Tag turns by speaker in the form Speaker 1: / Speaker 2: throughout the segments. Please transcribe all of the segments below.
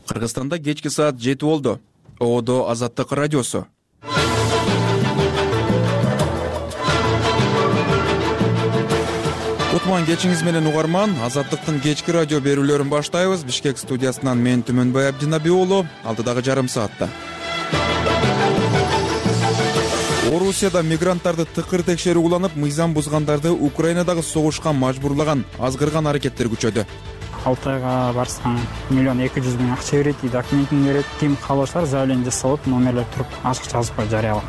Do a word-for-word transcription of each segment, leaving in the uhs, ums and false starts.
Speaker 1: Кыргызстанда кечки саат жети болду. Оодо Азаттык радиосу. Кутман кечиңиз менен угарман. Азаттыктын кечки радио берүүлөрүн баштайбыз. Бишкек студиясынан мен Түмөнбай Абдинаби уулу. Алдыдагы жарым саатта Орусияда мигранттарды тыкыр текшерүү уланып, мыйзам бузгандарды Украинадагы согушка мажбурлаган азгырган аракеттер күчөдү.
Speaker 2: Алтайга барсаң миллион эки жүз миң акча берет, документин берет. Ким кааласалар заявление жасалып, номерлер туруп ачык жазып коюп жарыялап.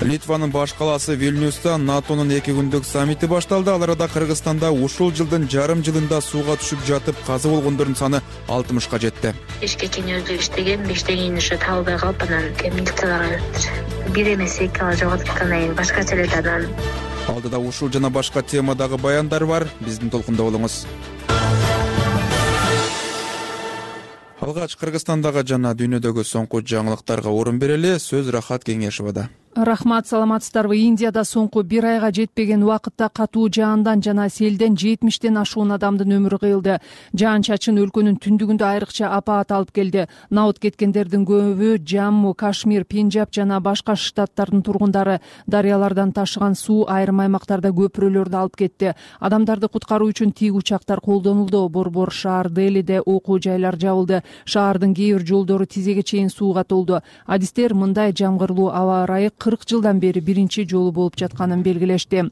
Speaker 1: Литванын баш калаасы Вильнюста НАТОнун эки күндүк саммити башталды. Ал арада Кыргызстанда ушул жылдын жарым жылында сууга түшүп жатып каза болгондордун саны алтымышка жетти.
Speaker 3: Бишкектин өзү иштеген, биштеген иши табылбай калып, анан милицияларга бериптир. Бир эмес эки ала жоготуп аткандан башкача эле анан.
Speaker 1: Алдыда ушул жана башка темадагы баяндар бар. Биздин толкунда болуңуз. Алгач Кыргызстандагы жана дүйнөдөгү соңку жаңылыктарга орун берели. Сөз Рахат Кеңешовада.
Speaker 4: Рахмат, саламатсыздарбы? Индияда соңку бир айга жетпеген убакытта катуу жаандан жана селден жетимиштен ашуун адамдын өмүрү кыйылды. Жаан чачын өлкөнүн түндүгүндө айрыкча апаат алып келди. Наут кеткендердин көбү Жамму, Кашмир, Пенджаб жана башка штаттардын тургундары. Дарыялардан ташыган суу айрым аймактарда көпүрөлөрдү алып кетти. Адамдарды куткаруу үчүн тик учактар колдонулду. Борбор шаар Делиде окуу жайлар жабылды. Шаардын кээ бир жолдору тизеге чейин сууга толду. Адистер мындай жамгырлуу аба ырайы кырк жылдан бери биринчи жолу болуп жатканын белгилешти.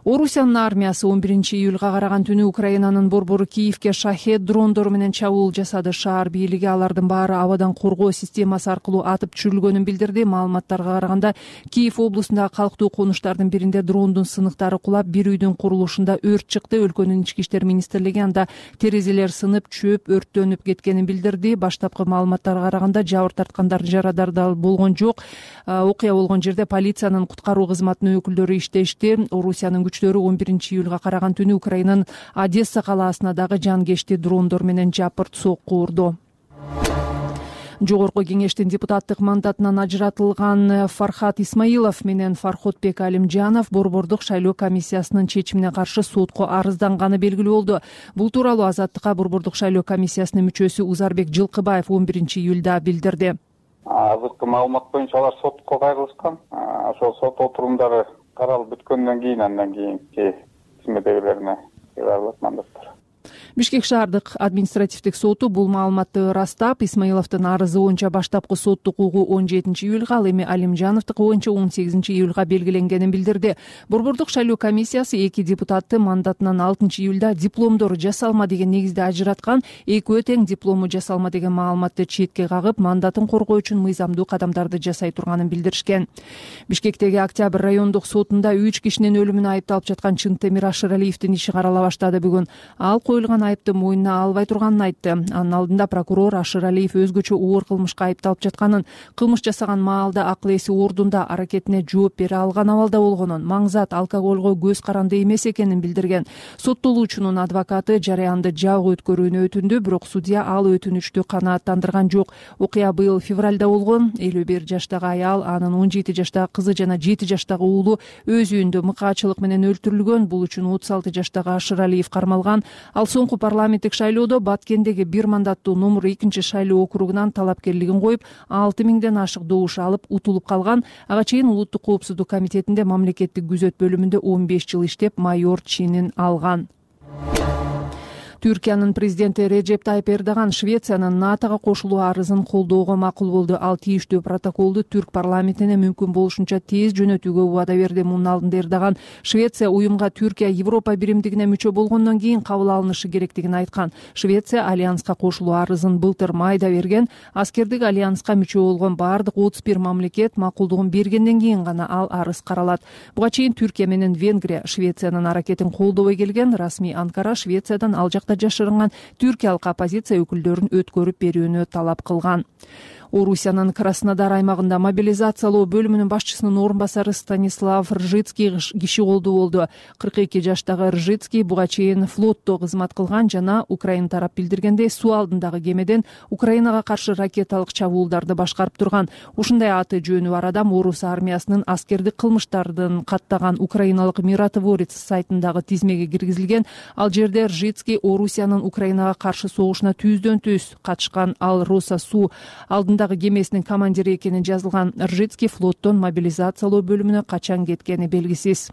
Speaker 4: Орусиянын армиясы он биринчи июлга караган түнү Украинанын борбору Киевке шахед дрондору менен чабуул жасады. Шаар бийлиги алардын баары абадан коргоо системасы аркылуу атып түшүрүлгөнүн билдирди. Маалыматтарга караганда Киев облусундагы калктуу конуштардын биринде дрондун сыныктары кулап, бир үйдүн курулушунда өрт чыкты. Өлкөнүн ички иштер министрлиги анда терезелер сынып, чөп өрттөнүп кеткенин билдирди. Баштапкы маалыматтарга караганда жабыр тарткандар, жарадар болгон жок. Окуя болгон жерде полициянын куткаруу кызматынын өкүлдөрү иштешти. Орусиянын күчтөрү он биринчи июлга караган түнү Украинанын Одесса калаасына дагы жанкечти дрондор менен жапырт сокку урду. Жогорку кеңештин депутаттык мандатынан ажыратылган Фархат Исмаилов менен Фарходбек Алимжанов борбордук шайлоо комиссиясынын чечимине каршы сотко арызданганы белгилүү болду. Бул тууралуу Азаттыкка борбордук шайлоо комиссиясынын мүчөсү Узарбек Жылкыбаев он биринчи июлда билдирди.
Speaker 5: Азыркы маалымат боюнча алар сотко кайрылышкан. Ошол сот отурумдары каралып бүткөндөн кийин андан кийинки тизмедегилерине кайрылат мандаттар.
Speaker 4: Бишкек шаардык административдик соту бул маалыматты ырастап, Исмаиловдун арызы боюнча баштапкы соттук угуу он жетинчи июлга, ал эми Алимжановдуку боюнча он сегизинчи июлга белгиленгенин билдирди. Борбордук шайлоо комиссиясы эки депутатты мандатынан алтынчы июлда дипломдору жасалма деген негизде ажыраткан. Экөө тең диплому жасалма деген маалыматты четке кагып, мандатын коргоо үчүн мыйзамдуу кадамдарды жасай турганын билдиришкен. Бишкектеги Октябрь райондук сотунда үч кишинин өлүмүнө айыпталып жаткан Чынтемир Ашыралиевдин иши карала баштады бүгүн. Ал коюлган айыпты мойнуна албай турганын айтты. Анын алдында прокурор Ашыралиев өзгөчө оор кылмышка айыпталып жатканын, кылмыш жасаган маалда акыл эси ордунда, аракетине жооп бере алган абалда болгонун, маңзат алкоголго көз каранды эмес экенин билдирген. Соттолуучунун адвокаты жараянды жабык өткөрүүнү өтүндү, бирок судья ал өтүнүчтү канааттандырган жок. Окуя быйыл февралда болгон. элүү бир жаштагы аял, анын он жети жаштагы кызы жана жети жаштагы уулу өз үйүндө мыкаачылык менен өлтүрүлгөн. Бул үчүн отуз алты жаштагы Ашыралиев кармалган. Ал соңку парламенттик шайлоодо Баткендеги бир мандаттуу номер экинчи шайлоо округунан талапкерлигин коюп, алты миңден ашык добуш алып утулуп калган. Ага чейин Улуттук коопсуздук комитетинде мамлекеттик күзөт бөлүмүндө он беш жыл иштеп, майор чинин алган. Түркиянын президенти Реджеп Тайып Эрдоган Швециянын НАТОго кошулуу арызын колдоого макул болду. Ал тийиштүү протоколду түрк парламентине мүмкүн болушунча тез жөнөтүүгө убада берди. Мунун алдында Эрдоган Швеция уюмга Түркия Европа биримдигине мүчө болгондон кийин кабыл алынышы керектигин айткан. Швеция альянска кошулуу арызын былтыр майда берген. Аскердик альянска мүчө болгон бардык отуз бир мамлекет макулдугун бергенден кийин гана ал арыз каралат. Буга чейин Түркия менен Венгрия Швециянын аракетин колдобой келген. Расмий Анкара Швециядан ал жакта жашырынган түркиялык оппозиция өкүлдөрүн өткөрүп берүүнү талап кылган. Орусиянын Краснодар аймагында мобилизациялоо бөлүмүнүн башчысынын орун басары Станислав Ржицкий киши колдуу болду. кырк эки жаштагы Ржицкий буга чейин флотто кызмат кылган жана Украина тарап билдиргендей суу алдындагы кемеден Украинага каршы ракеталык чабуулдарды башкарып турган. Ушундай аты жөнү бар адам орус армиясынын аскердик кылмыштардын каттаган украиналык миротворец сайтындагы тизмеге киргизилген. Ал жерде Ржицкий Орусиянын Украинага каршы согушуна түздөн түз катышкан. Ал Роса суу алдындагы кемесинин командири экени жазылган. Ржицкий флоттон мобилизациялоо бөлүмүнө качан кеткени белгисиз.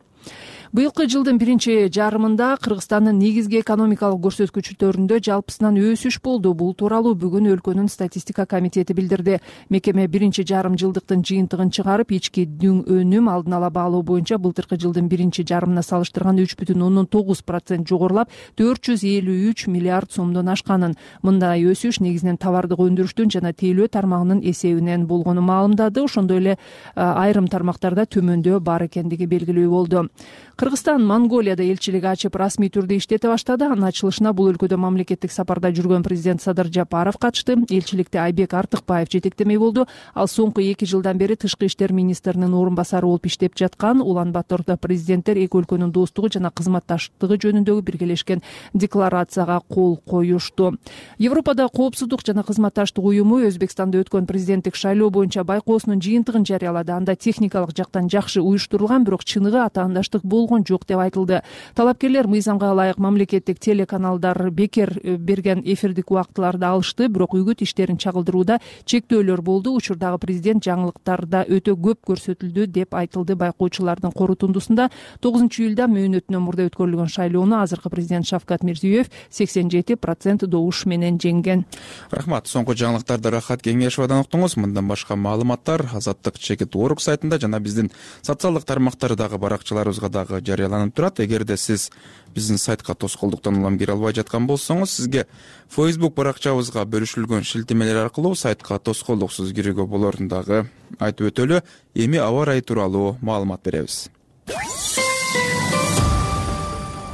Speaker 4: Быйылкы жылдын биринчи жарымында Кыргызстандын негизги экономикалык көрсөткүчтөрүндө жалпысынан өсүш болду. Бул тууралуу бүгүн өлкөнүн статистика комитети билдирди. Мекеме биринчи жарым жылдыктын жыйынтыгын чыгарып, ички дүң өнүм алдын ала баалоо боюнча былтыркы жылдын биринчи жарымына салыштырганда үч бүтүн ондон тогуз процент жогорулап, төрт жүз элүү үч миллиард сомдон ашканын. Мындай өсүш негизинен товардык өндүрүштүн жана тейлөө тармагынын эсебинен болгону маалымдады. Ошондой эле айрым тармактарда төмөндөө бар экендиги белгилүү болду. Кыргызстан Монголияда элчилик ачып расмий түрдө иштете баштады. Анын ачылышына бул өлкөдө мамлекеттик сапарда жүргөн президент Садыр Жапаров катышты. Элчиликти Айбек Артыкбаев жетектемек болду. Ал соңку эки жылдан бери тышкы иштер министринин орун басары болуп иштеп жаткан. Улан Батордо президенттер эки өлкөнүн достугу жана кызматташтыгы жөнүндөгү биргелешкен декларацияга кол коюшту. Европада коопсуздук жана кызматташтык уюму Өзбекстанда өткөн президенттик шайлоо боюнча байкоосунун жыйынтыгын жарыялады. Анда техникалык жактан жакшы уюштурулган, бирок чыныгы атаандаштык болгон жок деп айтылды. Талапкерлер мыйзамга ылайык мамлекеттик телеканалдар бекер берген эфирдик убактыларды алышты, бирок үгүт иштерин чагылдырууда чектөөлөр болду. Учурдагы президент жаңылыктарда өтө көп көрсөтүлдү деп айтылды байкоочулардын корутундусунда. тогузунчу июлда мөөнөтүнөн мурда өткөрүлгөн шайлоону азыркы президент Шавкат Мирзиёев сексен жети процент добуш менен жеңген.
Speaker 1: Рахмат. Соңку жаңылыктарды Рахат Кеңешовадан уктуңуз. Мындан башка маалыматтар Азаттык чекит орг сайтында жана биздин социалдык тармактардагы баракчаларыбызга дагы жарыяланып турат. Эгерде сиз биздин сайтка тоскоолдуктан улам кире албай жаткан болсоңуз, сизге Facebook баракчабызга бөлүшүлгөн шилтемелер аркылуу сайтка тоскоолдуксуз кирүүгө болорун дагы айтып өтөлү. Эми аба ырайы тууралуу маалымат беребиз.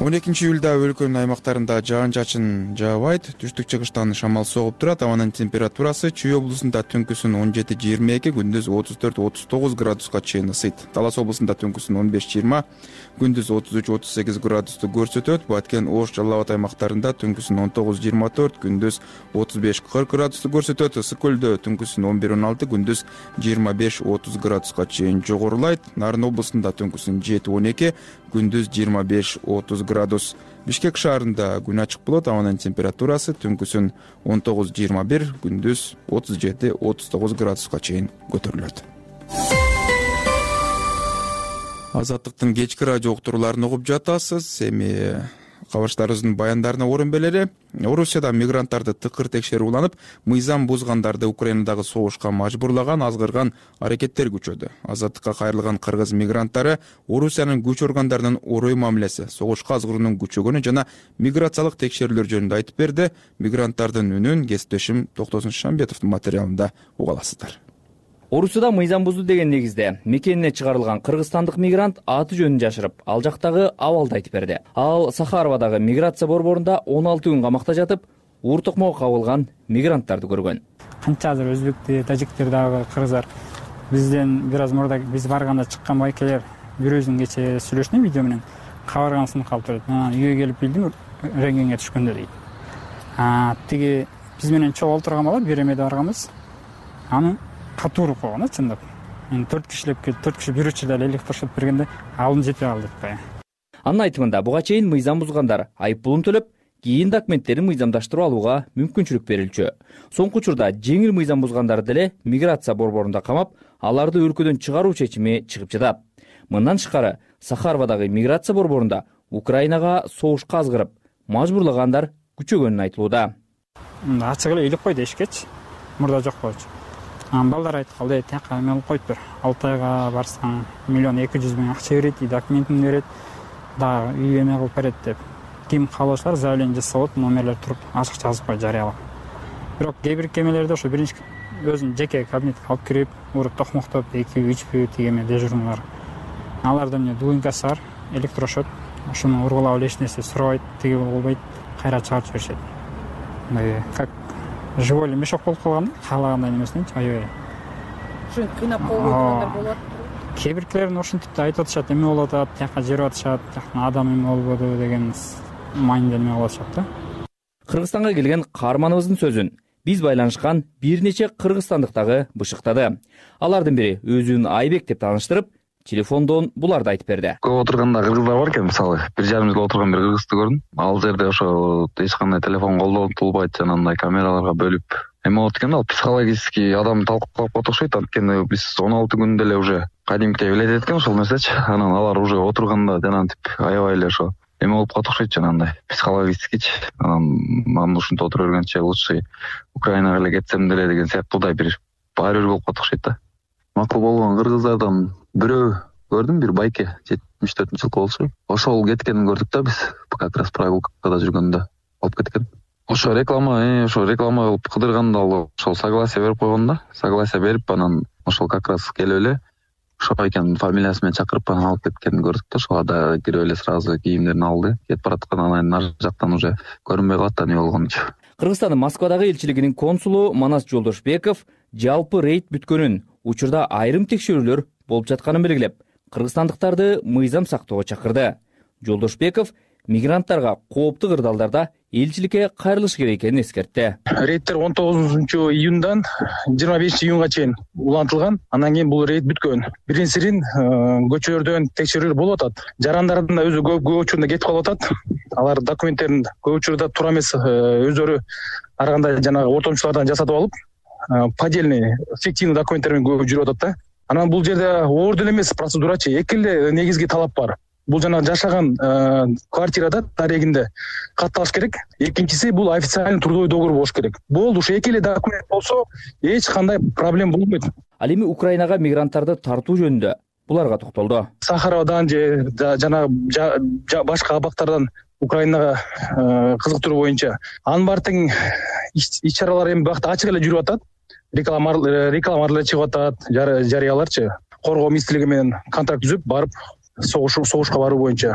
Speaker 1: он экинчи июлда өлкөнүн аймактарында жаан-чачын жаабайт, түштүк-чыгыштан шамал согуп турат. Абанын температурасы Чүй облусунда түнкүсүн он жети жыйырма эки, күндүз отуз төрт отуз тогуз градуска чейин ысыйт. Талас облусунда түнкүсүн он беш жыйырма, күндүз отуз үч отуз сегиз градусту көрсөтөт. Баткен, Ош, Жалал Абад аймактарында түнкүсүн он тогуз жыйырма төрт, күндүз отуз беш кырк градусту көрсөтөт. Ысык көлдө түнкүсүн он бир он алты, күндүз жыйырма беш отуз градуска чейин жогорулайт. Нарын облусунда түнкүсүн жети он эки, күндүз жыйырма беш отуз градус. Бишкек шаарында күн ачык болот. Абанын температурасы түнкүсүн он тогуз жыйырма бир, күндүз отуз жети отуз тогуз градуска чейин көтөрүлөт. Азаттыктын кечки радио уктурууларын угуп жатасыз. Эми кабарчыларыбыздын баяндарына орун берели. Орусияда мигранттарды тыкыр текшерүү уланып, мыйзам бузгандарды Украинадагы согушка мажбурлаган азгырган аракеттер күчөдү. Азаттыкка кайрылган кыргыз мигранттары Орусиянын күч органдарынын орой мамилеси, согушка азгыруунун күчөгөнү жана миграциялык текшерүүлөр жөнүндө айтып берди. Мигранттардын үнүн кесиптешим Токтосун Шамбетовдун материалында уга аласыздар.
Speaker 6: Орусияда мыйзам бузду деген негизде мекенине чыгарылган кыргызстандык мигрант аты жөнүн жашырып, ал жактагы абалды айтып берди. Ал Сахаровадагы миграция борборунда он алты күн камакта жатып, уур токмокко кабылган мигранттарды көргөн.
Speaker 2: Канча азыр өзбектер, тажиктер дагы кыргыздар бизден бир аз мурда биз барганда чыккан байкелер бирөөсүн кече сүйлөштүм видео менен. Кабаргансын калып турат. Үйгө келип билдим, рентгенге түшкөндө дейт. А тиги биз менен чогуу олтурган бала беремеде барганбыз. Аны катууруп койгон, чындап. Мен төрт кишилеп келип, төрт киши бир учурда электрошок бергенде алым жетпей калды деп кая.
Speaker 6: Анын айтымында буга чейин мыйзам бузгандар айып пулун төлөп, кийин документтерин мыйзамдаштырып алууга мүмкүнчүлүк берилчү. Соңку учурда жеңил мыйзам бузгандарды деле миграция борборунда камап, аларды өлкөдөн чыгаруу чечими чыгып жатат. Мындан тышкары, Сахаровадагы миграция борборунда Украинага согушка азгырып, мажбурлагандар күчөгөнүн айтылууда.
Speaker 2: Ачык эле илип кой дешкечи. Мурда жок болчу. Балдар айтып калды, тияка эме алып коюп бер. алты айга барсаң миллион эки жүз миң акча берет, документин берет, дагы үй эме кылып берет деп. Ким каалоочулар заявление жасап, номерлер туруп ачыкча жазып кой жарыялап. Бирок кээ бир кемелерде ошо биринчи өзүнүн жеке кабинетке алып кирип, уруп токмоктоп, эки үч бү тигеме дежурныйлар. Аларда эмне дуинкасы бар, электрошок, ошону ургулап эле эч нерсе сурабайт, тиги болбойт, кайра чыгарып жиберишет. Мындай как живой эле мешок болуп калган да, каалагандай немесиненчи, аябай.
Speaker 4: Ушинтип кыйнап коюп койгондар болот.
Speaker 2: Кээ биркилерин ушинтип да айтып атышат, эме болуп атат, тияка жерип атышат, тияктан адам эме болбоду деген майнда эме кылып атышат да.
Speaker 6: Кыргызстанга келген каарманыбыздын сөзүн биз байланышкан бир нече кыргызстандыктагы бышыктады. Алардын бири өзүн Айбек деп тааныштырып, телефондон буларды айтып берди.
Speaker 7: Көп отурганда кыргыздар бар экен, мисалы, бир жарым жыл отурган бир кыргызды көрдүм. Ал жерде ошо эч кандай телефон колдонулбайт, жанагындай камераларга бөлүп эме болот экен, ал психологически адам талкалап коет окшойт. Анткени биз он алты күндө эле уже кадимки билет экен ошол нерсечи. Анан алар уже отурганда жанагынтип аябай эле ошо эме болуп калат окшойт, жанагындай психологическичи. Анан мен ушинтип отура бергенче лучше Украинага эле кетсем деле деген сыяктуудай бир баары бир болуп калат окшойт да. Макул болгон кыргыздардан бирөө көрдүм, бир байке, жетимиш төртүнчү жылкы болчу. Ошол кеткенин көрдүк да биз, как раз прогулкада жүргөндө алып кеткен. Ошо реклама, ошо реклама кылып кыдырганда ал ошол согласие берип койгон да. Согласие берип, анан ошол как раз келип эле ошо экен фамилиясы менен чакырып анан алып кеткенин көрдүк да. Ошого да кирип эле сразу кийимдерин алды. Кетип бараткан, анан нары жактан уже көрүнбөй калат да, не болгончу.
Speaker 6: Кыргызстандын Москвадагы элчилигинин консулу Манас Жолдошбеков жалпы рейд бүткөнүн, учурда айрым текшерүүлөр болуп жатканын белгилеп, кыргызстандыктарды мыйзам сактоого чакырды. Жолдошбеков мигранттарга кооптуу кырдаалдарда элчиликке кайрылыш керек экенин эскертти.
Speaker 8: Рейдтер он тогузунчу июндан жыйырма бешинчи июнга чейин улантылган. Андан кийин бул рейд бүткөн. Биринчисин көчөлөрдөн текшерүү болуп атат. Жарандардын да өзү көп учурунда кетип калып атат. Алар документтерин көп учурда туура эмес өздөрү ар кандай жанагы ортомчулардан жасатып алып, поддельный, фиктивный документтер менен көп жүрүп атат да. Анан бул жерде оор деле эмес процедурачы, эки эле негизги талап бар. Бул жана жашаган квартирада дарегинде катталыш керек. Экинчиси бул официальный трудовой договор болуш керек. Болду, ушу эки эле документ болсо, эч кандай проблема болбойт.
Speaker 6: Ал эми Украинага мигранттарды тартуу жөнүндө буларга токтолду.
Speaker 8: Сахарадан же жана башка абактардан Украинага кызыктыруу боюнча анын баары тең иш-чаралар эми бакта ачык эле жүрүп атат. Рекламалар чыгып атат, жарыяларчы. Коргоо министрлиги менен контракт түзүп барып согуш согушка баруу боюнча.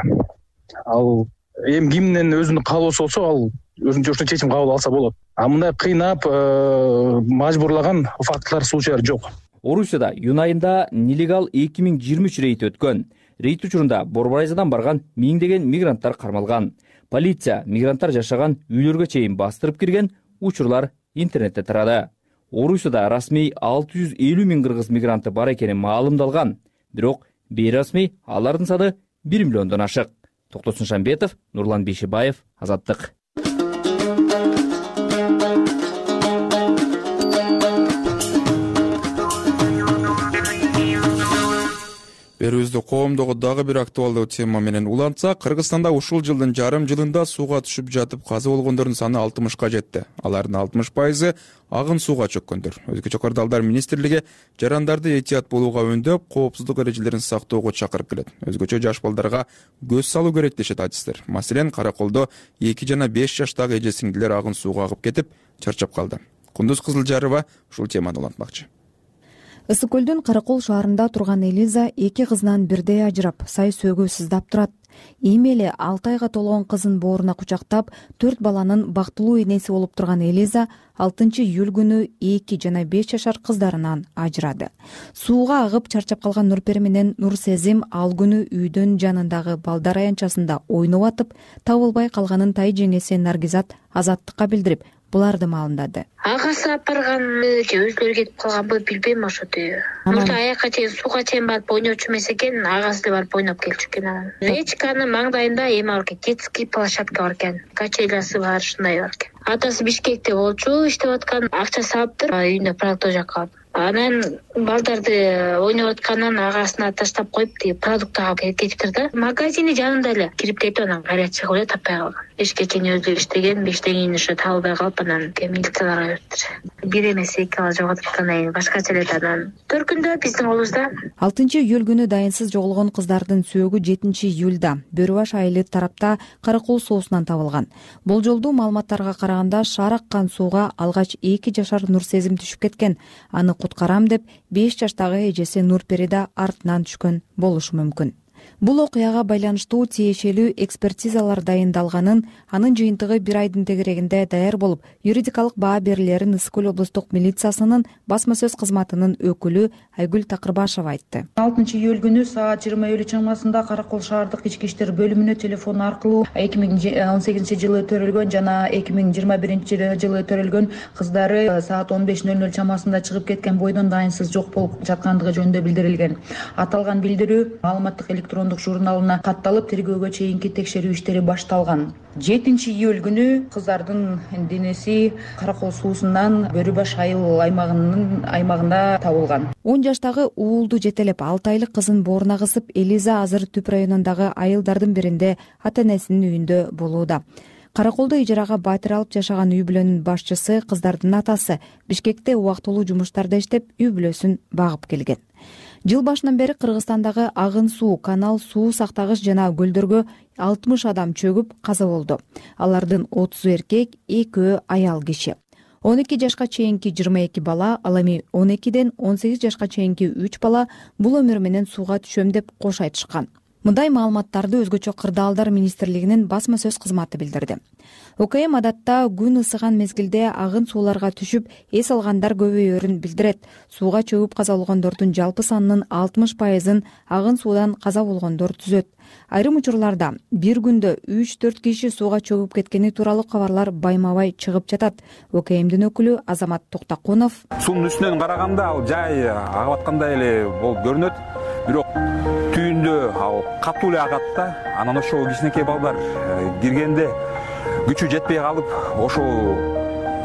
Speaker 8: Ал эми кимдин өзүнүн каалоосу болсо, ал өзүнчө ушундай чечим кабыл алса болот. А мындай кыйнап, мажбурлаган фактылар, случайлар жок.
Speaker 6: Орусияда июнь айында нелегал эки миң жыйырма үч рейд өткөн. Рейд учурунда Борборайзадан барган миңдеген мигранттар кармалган. Полиция мигранттар жашаган үйлөргө чейин бастырып кирген, учурлар интернетте тарады. Орусияда расмий алты жүз элүү миң кыргыз мигранты бар экени маалымдалган. Бирок бейрасмий алардын саны бир миллиондон ашык. Токтосун Шамбетов, Нурлан Бейшибаев, Азаттык.
Speaker 1: Берүүбүздү коомдогу дагы бир актуалдуу тема менен улантсак, Кыргызстанда ушул жылдын жарым жылында сууга түшүп жатып каза болгондордун саны алтымышка жетти. Алардын алтымыш пайызы агын сууга чөккөндөр. Өзгөчө кырдаалдар министрлиги жарандарды этият болууга үндөп, коопсуздук эрежелерин сактоого чакырып келет. Өзгөчө жаш балдарга көз салуу керек дешет адистер. Маселен, Караколдо эки жана беш жаштагы эже сиңдилер агын сууга агып кетип, чарчап калды. Кундуз Кызылжарова ушул теманы улантмакчы.
Speaker 9: Ысык көлдүн Каракол шаарында турган Элиза эки кызынан бирдей ажырап, сай сөөгө сыздап турат. Эми эле алты айга толгон кызын бооруна кучактап, төрт баланын бактылуу энеси болуп турган Элиза алтынчы июль күнү эки жана беш жашар кыздарынан ажырады. Сууга агып чарчап калган Нурпери менен Нурсезим ал күнү үйдөн жанындагы балдар аянтчасында ойноп атып, табылбай калганын тай жеңеси Наргизат Азаттыкка билдирип, буларды маалымдады.
Speaker 3: Агасы алып барганбы же өзлөрү кетип калганбы билбейм ошоту. Мурда аяка чейин сууга чейин барып ойночу эмес экен, агасы да барып ойноп келчү экен анан. Речканын маңдайында эме бар экен, детский площадка бар экен, качелясы бар, ушундай бар экен. Атасы Бишкекте болчу, иштеп аткан, акчасы алыптыр, үйүндө продукт жаккан. Анан балдарды ойноп атканын агасына таштап коюп, продукт алып кетиптир да. Магазини жанында эле кирип кетип, анан кайра чыгып эле таппай калган. Эшикке чейин өзү иштеген, бештен ошо табылбай калып, анан милицияларга бериптир. Бир эмес эки бала жоготуп аткандан кийин башкача эле анан төркүндө биздин колубузда.
Speaker 9: алтынчы июль күнү дайынсыз жоголгон кыздардын сөөгү жетинчи июлда Бөрү баш айылы тарапта Каракол соосунан табылган. Болжолдуу маалыматтарга караганда шаар аккан сууга алгач эки жашар Нурсезим түшүп кеткен. Аны куткарам деп беш жаштагы эжеси Нурпери да артынан түшкөн болушу мүмкүн. Бул окуяга байланыштуу тиешелүү экспертизалар дайындалганын, анын жыйынтыгы бир айдын тегерегинде даяр болуп, юридикалык баа берилерин Ысык көл облустук милициясынын басма сөз кызматынын өкүлү Айгүл Такырбашева айтты.
Speaker 10: алтынчы июль күнү саат жыйырма элүү чамасында Кара Кол шаардык ички иштер бөлүмүнө телефон аркылуу эки миң он сегизинчи жылы төрөлгөн жана эки миң жыйырма биринчи жылы төрөлгөн кыздары саат он беш ноль ноль чамасында чыгып кеткен бойдон дайынсыз жок болуп жаткандыгы жөнүндө билдирилген. Аталган билдирүү маалыматтык электрондук журналына катталып, тергөөгө чейинки текшерүү иштери башталган. жетинчи июль күнү кыздардын денеси Кара Кол суусунан Бөрү баш айыл аймагынын аймагында табылган.
Speaker 9: он жаштагы уулду жетелеп алты айлык кызын бооруна кысып, Элиза азыр Түп районундагы айылдардын биринде ата энесинин үйүндө болууда. Кара Колдо ижарага батир алып жашаган үй бүлөнүн башчысы, кыздардын атасы Бишкекте убактылуу жумуштарда иштеп, үй бүлөсүн багып келген. Жыл башынан бери Кыргызстандагы агын суу, канал, суу сактагыч жана көлдөргө алтымыш адам чөгүп каза болду. Алардын отузу эркек, экөө аял киши. он эки жашка чейинки жыйырма эки бала, ал эми он экиден он сегиз жашка чейинки үч бала бул өмүр менен сууга түшөм деп кош айтышкан. Мындай маалыматтарды Өзгөчө кырдаалдар министрлигинин басма сөз кызматы билдирди. ОКМ адатта күн ысыган мезгилде агын сууларга түшүп, эс алгандар көбөйөрүн билдирет. Сууга чөгүп каза болгондордун жалпы санынын алтымыш пайызын агын суудан каза болгондор түзөт. Айрым учурларда бир күндө үч төрт киши сууга чөгүп кеткени тууралуу кабарлар байма-бай чыгып жатат. ОКМдин өкүлү Азамат Токтакунов:
Speaker 11: Суунун үстүнөн караганда ал жай агып аткандай эле болуп көрүнөт, бирок түйүндө ал катуу эле агат да. Анан ошол кичинекей балдар киргенде күчү жетпей калып, ошол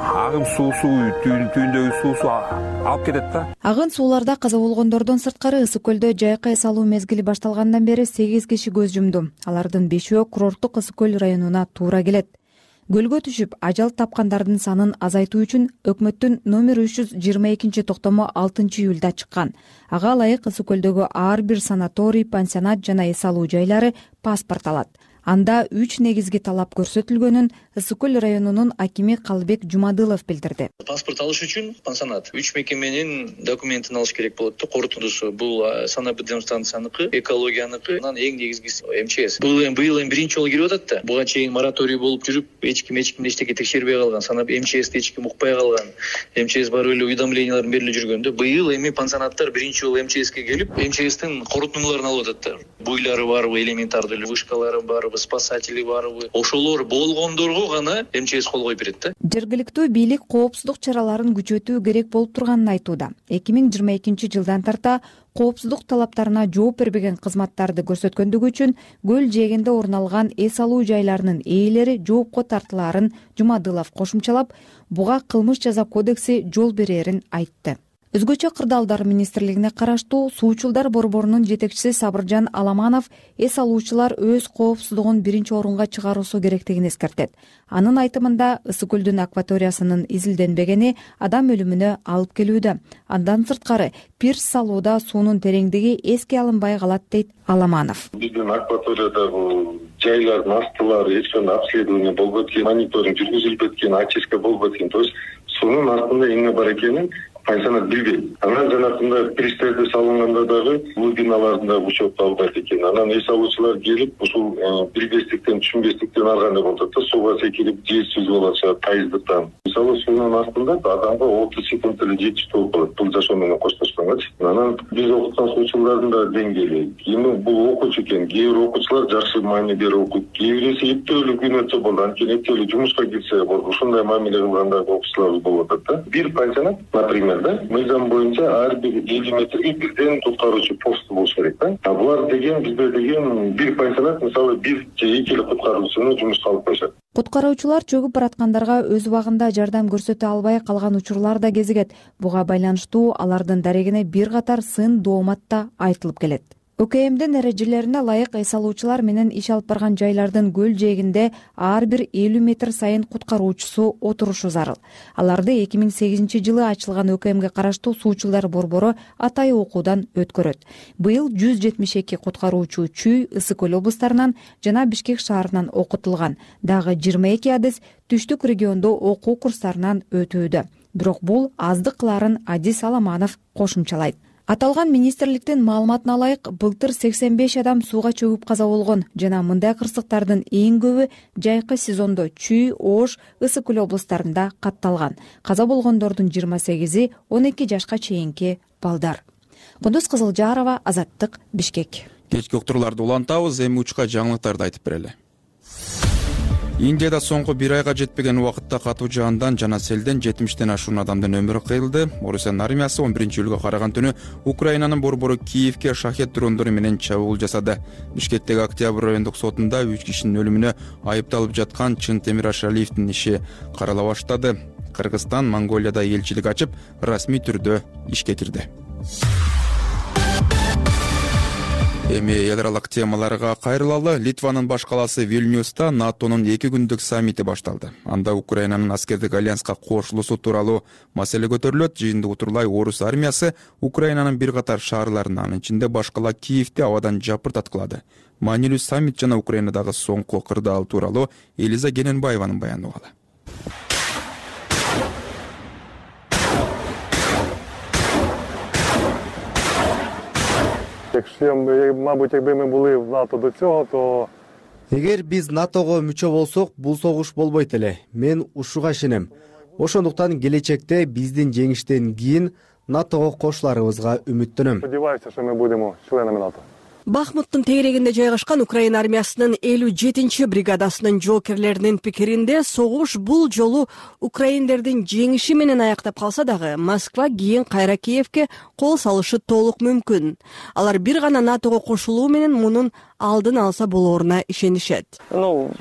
Speaker 11: агым суусу түйүндөгү суусу алып кетет да.
Speaker 9: Агын сууларда каза болгондордон сырткары Ысык көлдө жайкы эс алуу мезгили башталгандан бери сегиз киши көз жумду. Алардын бешөө курорттук Ысык көл районуна туура келет. Көлгө түшүп, ажал тапкандардын санын азайтуу үчүн өкмөттүн номер үч жүз жыйырма экинчи токтому алтынчы июлда чыккан. Ага ылайык Ысык көлдөгү ар бир санаторий, пансионат жана эс алуу жайлары паспорт алат. Анда үч негизги талап көрсөтүлгөнүн Ысык көл районунун акими Калыбек Жумадылов билдирди.
Speaker 12: Паспорт алыш үчүн пансионат үч мекеменин документин алыш керек болот да. Корутундусу бул санэпидемстанцияныкы, экологияныкы, анан эң негизгиси эм че эс. Бул эми быйыл эми биринчи жолу кирип атат да. Буга чейин мораторий болуп жүрүп, эч ким эч кимди эчтеке текшербей калган. Санап эм че эсти эч ким укпай калган. эм че эс барып эле уведомлениялар берилип жүргөндө, быйыл эми пансионаттар биринчи жолу эм че эске келип, эм че эстин корутундуларын алып атат да. Буйлары барбы, элементардуу вышкалары барбы, спасатели барбы, ошолор болгондорго гана эм че эс кол коюп берет да.
Speaker 9: Жергиликтүү бийлик коопсуздук чараларын күчөтүү керек болуп турганын айтууда. эки миң жыйырма экинчи жылдан тарта коопсуздук талаптарына жооп бербеген кызматтарды көрсөткөндүгү үчүн көл жээгинде орун алган эс алуу жайларынын ээлери жоопко тартылаарын Жумадылов кошумчалап, буга кылмыш жаза кодекси жол берерин айтты. Өзгөчө кырдаалдар министрлигине караштуу суучулдар борборунун жетекчиси Сабыржан Аламанов эс алуучулар өз коопсуздугун биринчи орунга чыгаруусу керектигин эскертет. Анын айтымында Ысык көлдүн акваториясынын изилденбегени адам өлүмүнө алып келүүдө. Андан сырткары пирс салууда суунун тереңдиги эске алынбай калат дейт Аламанов.
Speaker 13: Биздин акваториядагы жайлардын астылары эч кандай обследование болбойт экен, мониторинг жүргүзүлбөйт экен, очистка болбойт экен. То есть суунун астында эмне бар экенин пансионат билбейт. Анан жанагындай пирстерди салынганда дагы глубиналарында учетто албайт экен. Анан эс алуучулар келип, ушул билбестиктен, түшүнбестиктен ар кандай болуп атат да, сууга секирип, жээсиз болуп атышат, тайыздыктан. Мисалы суунун астында адамга отуз секунд эле жетчү болуп калат, бул жашоо менен коштошконгачы. Анан биз окуткан суучулардын да деңгээли, эми бул окуучу экен, кээ бир окуучулар жакшы маани берип окуйт, кээ биреси эптөөлүү күн өтсө болду, анткени эптөөлүү жумушка кирсе болду. Ушундай мамиле кылгандарды окуучулар болуп атат да. Бир пансионат, например, мыйзам боюнча ар бир элүү метрге бирден куткаруучу пост болуш керек да. А булар деген, бизде деген бир пансионат мисалы бир же эки эле куткаруучуну жумушка алып коюшат.
Speaker 9: Куткаруучулар чөгүп бараткандарга өз убагында жардам көрсөтө албай калган учурлар да кезигет. Буга байланыштуу алардын дарегине бир катар сын доомат да айтылып келет. ОКМдин эрежелерине ылайык эс алуучулар менен иш алып барган жайлардын көл жээгинде ар бир элүү метр сайын куткаруучусу отурушу зарыл. Аларды эки миң сегизинчи жылы ачылган ОКМге караштуу суучулдар борбору атайы окуудан өткөрөт. Быйыл жүз жетимиш эки куткаруучу Чүй, Ысык көл облустарынан жана Бишкек шаарынан окутулган. Дагы жыйырма эки адис түштүк региондо окуу курстарынан өтүүдө. Бирок бул аздык кыларын Адис Аламанов кошумчалайт. Аталган министрликтин маалыматына ылайык, былтыр сексен беш адам сууга чөгүп каза болгон жана мындай кырсыктардын эң көбү жайкы сезондо Чүй, Ош, Ысык Көл облустарында катталган. Каза болгондордун жыйырма сегизи он эки жашка чейинки балдар. Кундуз Кызылжарова, Азаттык, Бишкек.
Speaker 1: Кечки уктурууларды улантабыз, эми учка жаңылыктарды айтып берели. Индияда соңку бир айга жетпеген убакытта катуу жаандан жана селден жетимиштен ашуун адамдын өмүрү кыйылды. Орусиянын армиясы он биринчи июлга караган түнү Украинанын борбору Киевке шахет дрондору менен чабуул жасады. Бишкектеги Октябрь райондук сотунда үч кишинин өлүмүнө айыпталып жаткан Чынтемир Ашалиевдин иши карала баштады. Кыргызстан Монголияда элчилик ачып, расмий түрдө ишке кирди. Эми эл аралык темаларга кайрылалы. Литванын баш калаасы Вильнюста НАТОнун эки күндүк саммити башталды. Анда Украинанын аскердик альянска кошулуусу тууралуу маселе көтөрүлөт. Жыйынды утурлай Орус армиясы Украинанын бир катар шаарларын, анын ичинде баш кала Киевди абадан жапыртаткылады. Маанилүү саммит жана Украинадагы соңку кырдаал тууралуу Элиза Гененбаеванын баяны угалы.
Speaker 14: Якщо, мабуть, якби ми були в НАТО до цього, то
Speaker 15: эгер биз НАТОго мүчө болсок, бул согуш болбойт эле. Мен ушуга ишенем. Ошондуктан келечекте биздин жеңиштен кийин НАТОго кошуларыбызга үмүттөнөм.
Speaker 14: Сподіваюся, що ми будемо членами НАТО.
Speaker 16: Бахмуттун тегерегинде жайгашкан Украина армиясынын элүү жетинчи бригадасынын жоокерлеринин пикиринде согуш бул жолу украиндердин жеңиши менен аяктап калса дагы, Москва кийин кайра Киевке кол салышы толук мүмкүн. Алар бир гана НАТОго кошулуу менен мунун алдын алса болооруна ишенишет.
Speaker 17: Ну,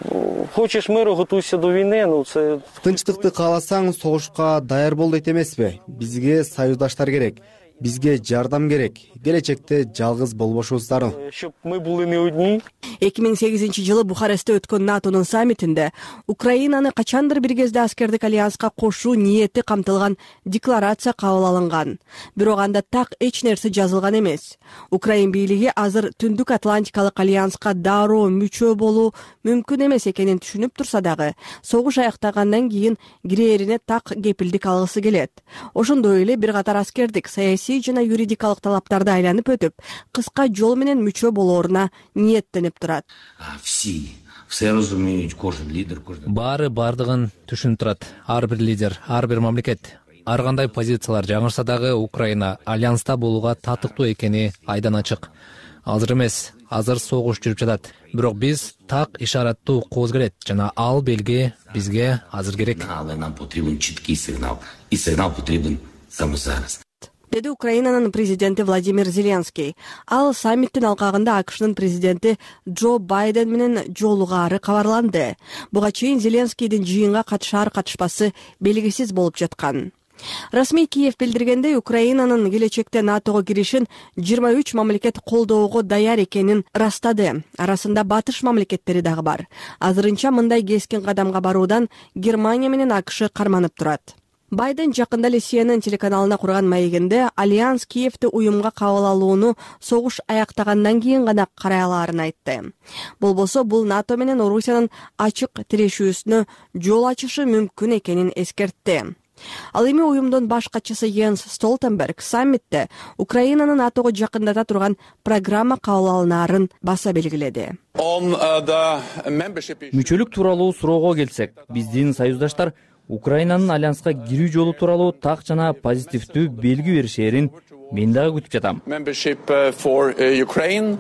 Speaker 17: хочеш миру, готуйся до войны, ну це
Speaker 15: тынчтыкты кааласаң, согушка даяр бол дейт эмеспи? Бизге союздаштар керек. Бизге жардам керек. Келечекте жалгыз болбошубуз зарыл.
Speaker 17: Щоб ми були не одні.
Speaker 16: эки миң сегизинчи жылы Бухарестте өткөн НАТОнун саммитинде Украинаны качандыр бир кезде аскердик альянска кошуу ниети камтылган декларация кабыл алынган. Бирок анда так эч нерсе жазылган эмес. Украин бийлиги азыр Түндүк Атлантикалык альянска дароо мүчө болуу мүмкүн эмес экенин түшүнүп турса дагы, согуш аяктагандан кийин кирээрине так кепилдик алгысы келет. Ошондой эле бир катар аскердик саясий жана юридикалык талаптарды айланып өтүп, кыска жол менен мүчө болооруна ниеттенип турат.
Speaker 18: Баары бардыгын түшүнүп турат. Ар бир лидер, ар бир мамлекет, ар кандай позициялар жаңырса дагы Украина альянста болууга татыктуу экени айдан ачык. Азыр эмес, азыр согуш жүрүп жатат. Бирок биз так ишараттуу укуубуз келет жана ал белги бизге азыр керек.
Speaker 19: Нам потребен читкий сигнал, и сигнал потребен само зараз.
Speaker 16: Деди Украинанын президенти Владимир Зеленский. Ал саммиттин алкагында АКШнын президенти Джо Байден менен жолугаары кабарланды. Буга чейин Зеленскийдин жыйынга катышаар катышпасы белгисиз болуп жаткан. Расмий Киев билдиргендей, Украинанын келечекте НАТОго киришин жыйырма үч мамлекет колдоого даяр экенин ырастады. Арасында батыш мамлекеттери дагы бар. Азырынча мындай кескин кадамга баруудан Германия менен АКШ карманып турат. Байден жакында эле Си Эн Эн телеканалына курган маегинде Альянс Киевди уюмга кабыл алууну согуш аяктагандан кийин гана карай алаарын айтты. Болбосо бул НАТО менен Орусиянын ачык тирешүүсүнө жол ачышы мүмкүн экенин эскертти. Ал эми уюмдун баш катчысы Йенс Столтенберг саммитте Украинаны НАТОго жакындата турган программа кабыл алынаарын баса белгиледи.
Speaker 6: Мүчөлүк тууралуу суроого келсек, биздин союздаштар Украинанын альянска кирүү жолу тууралуу так жана позитивдүү белги беришээрин мен дагы күтүп жатам.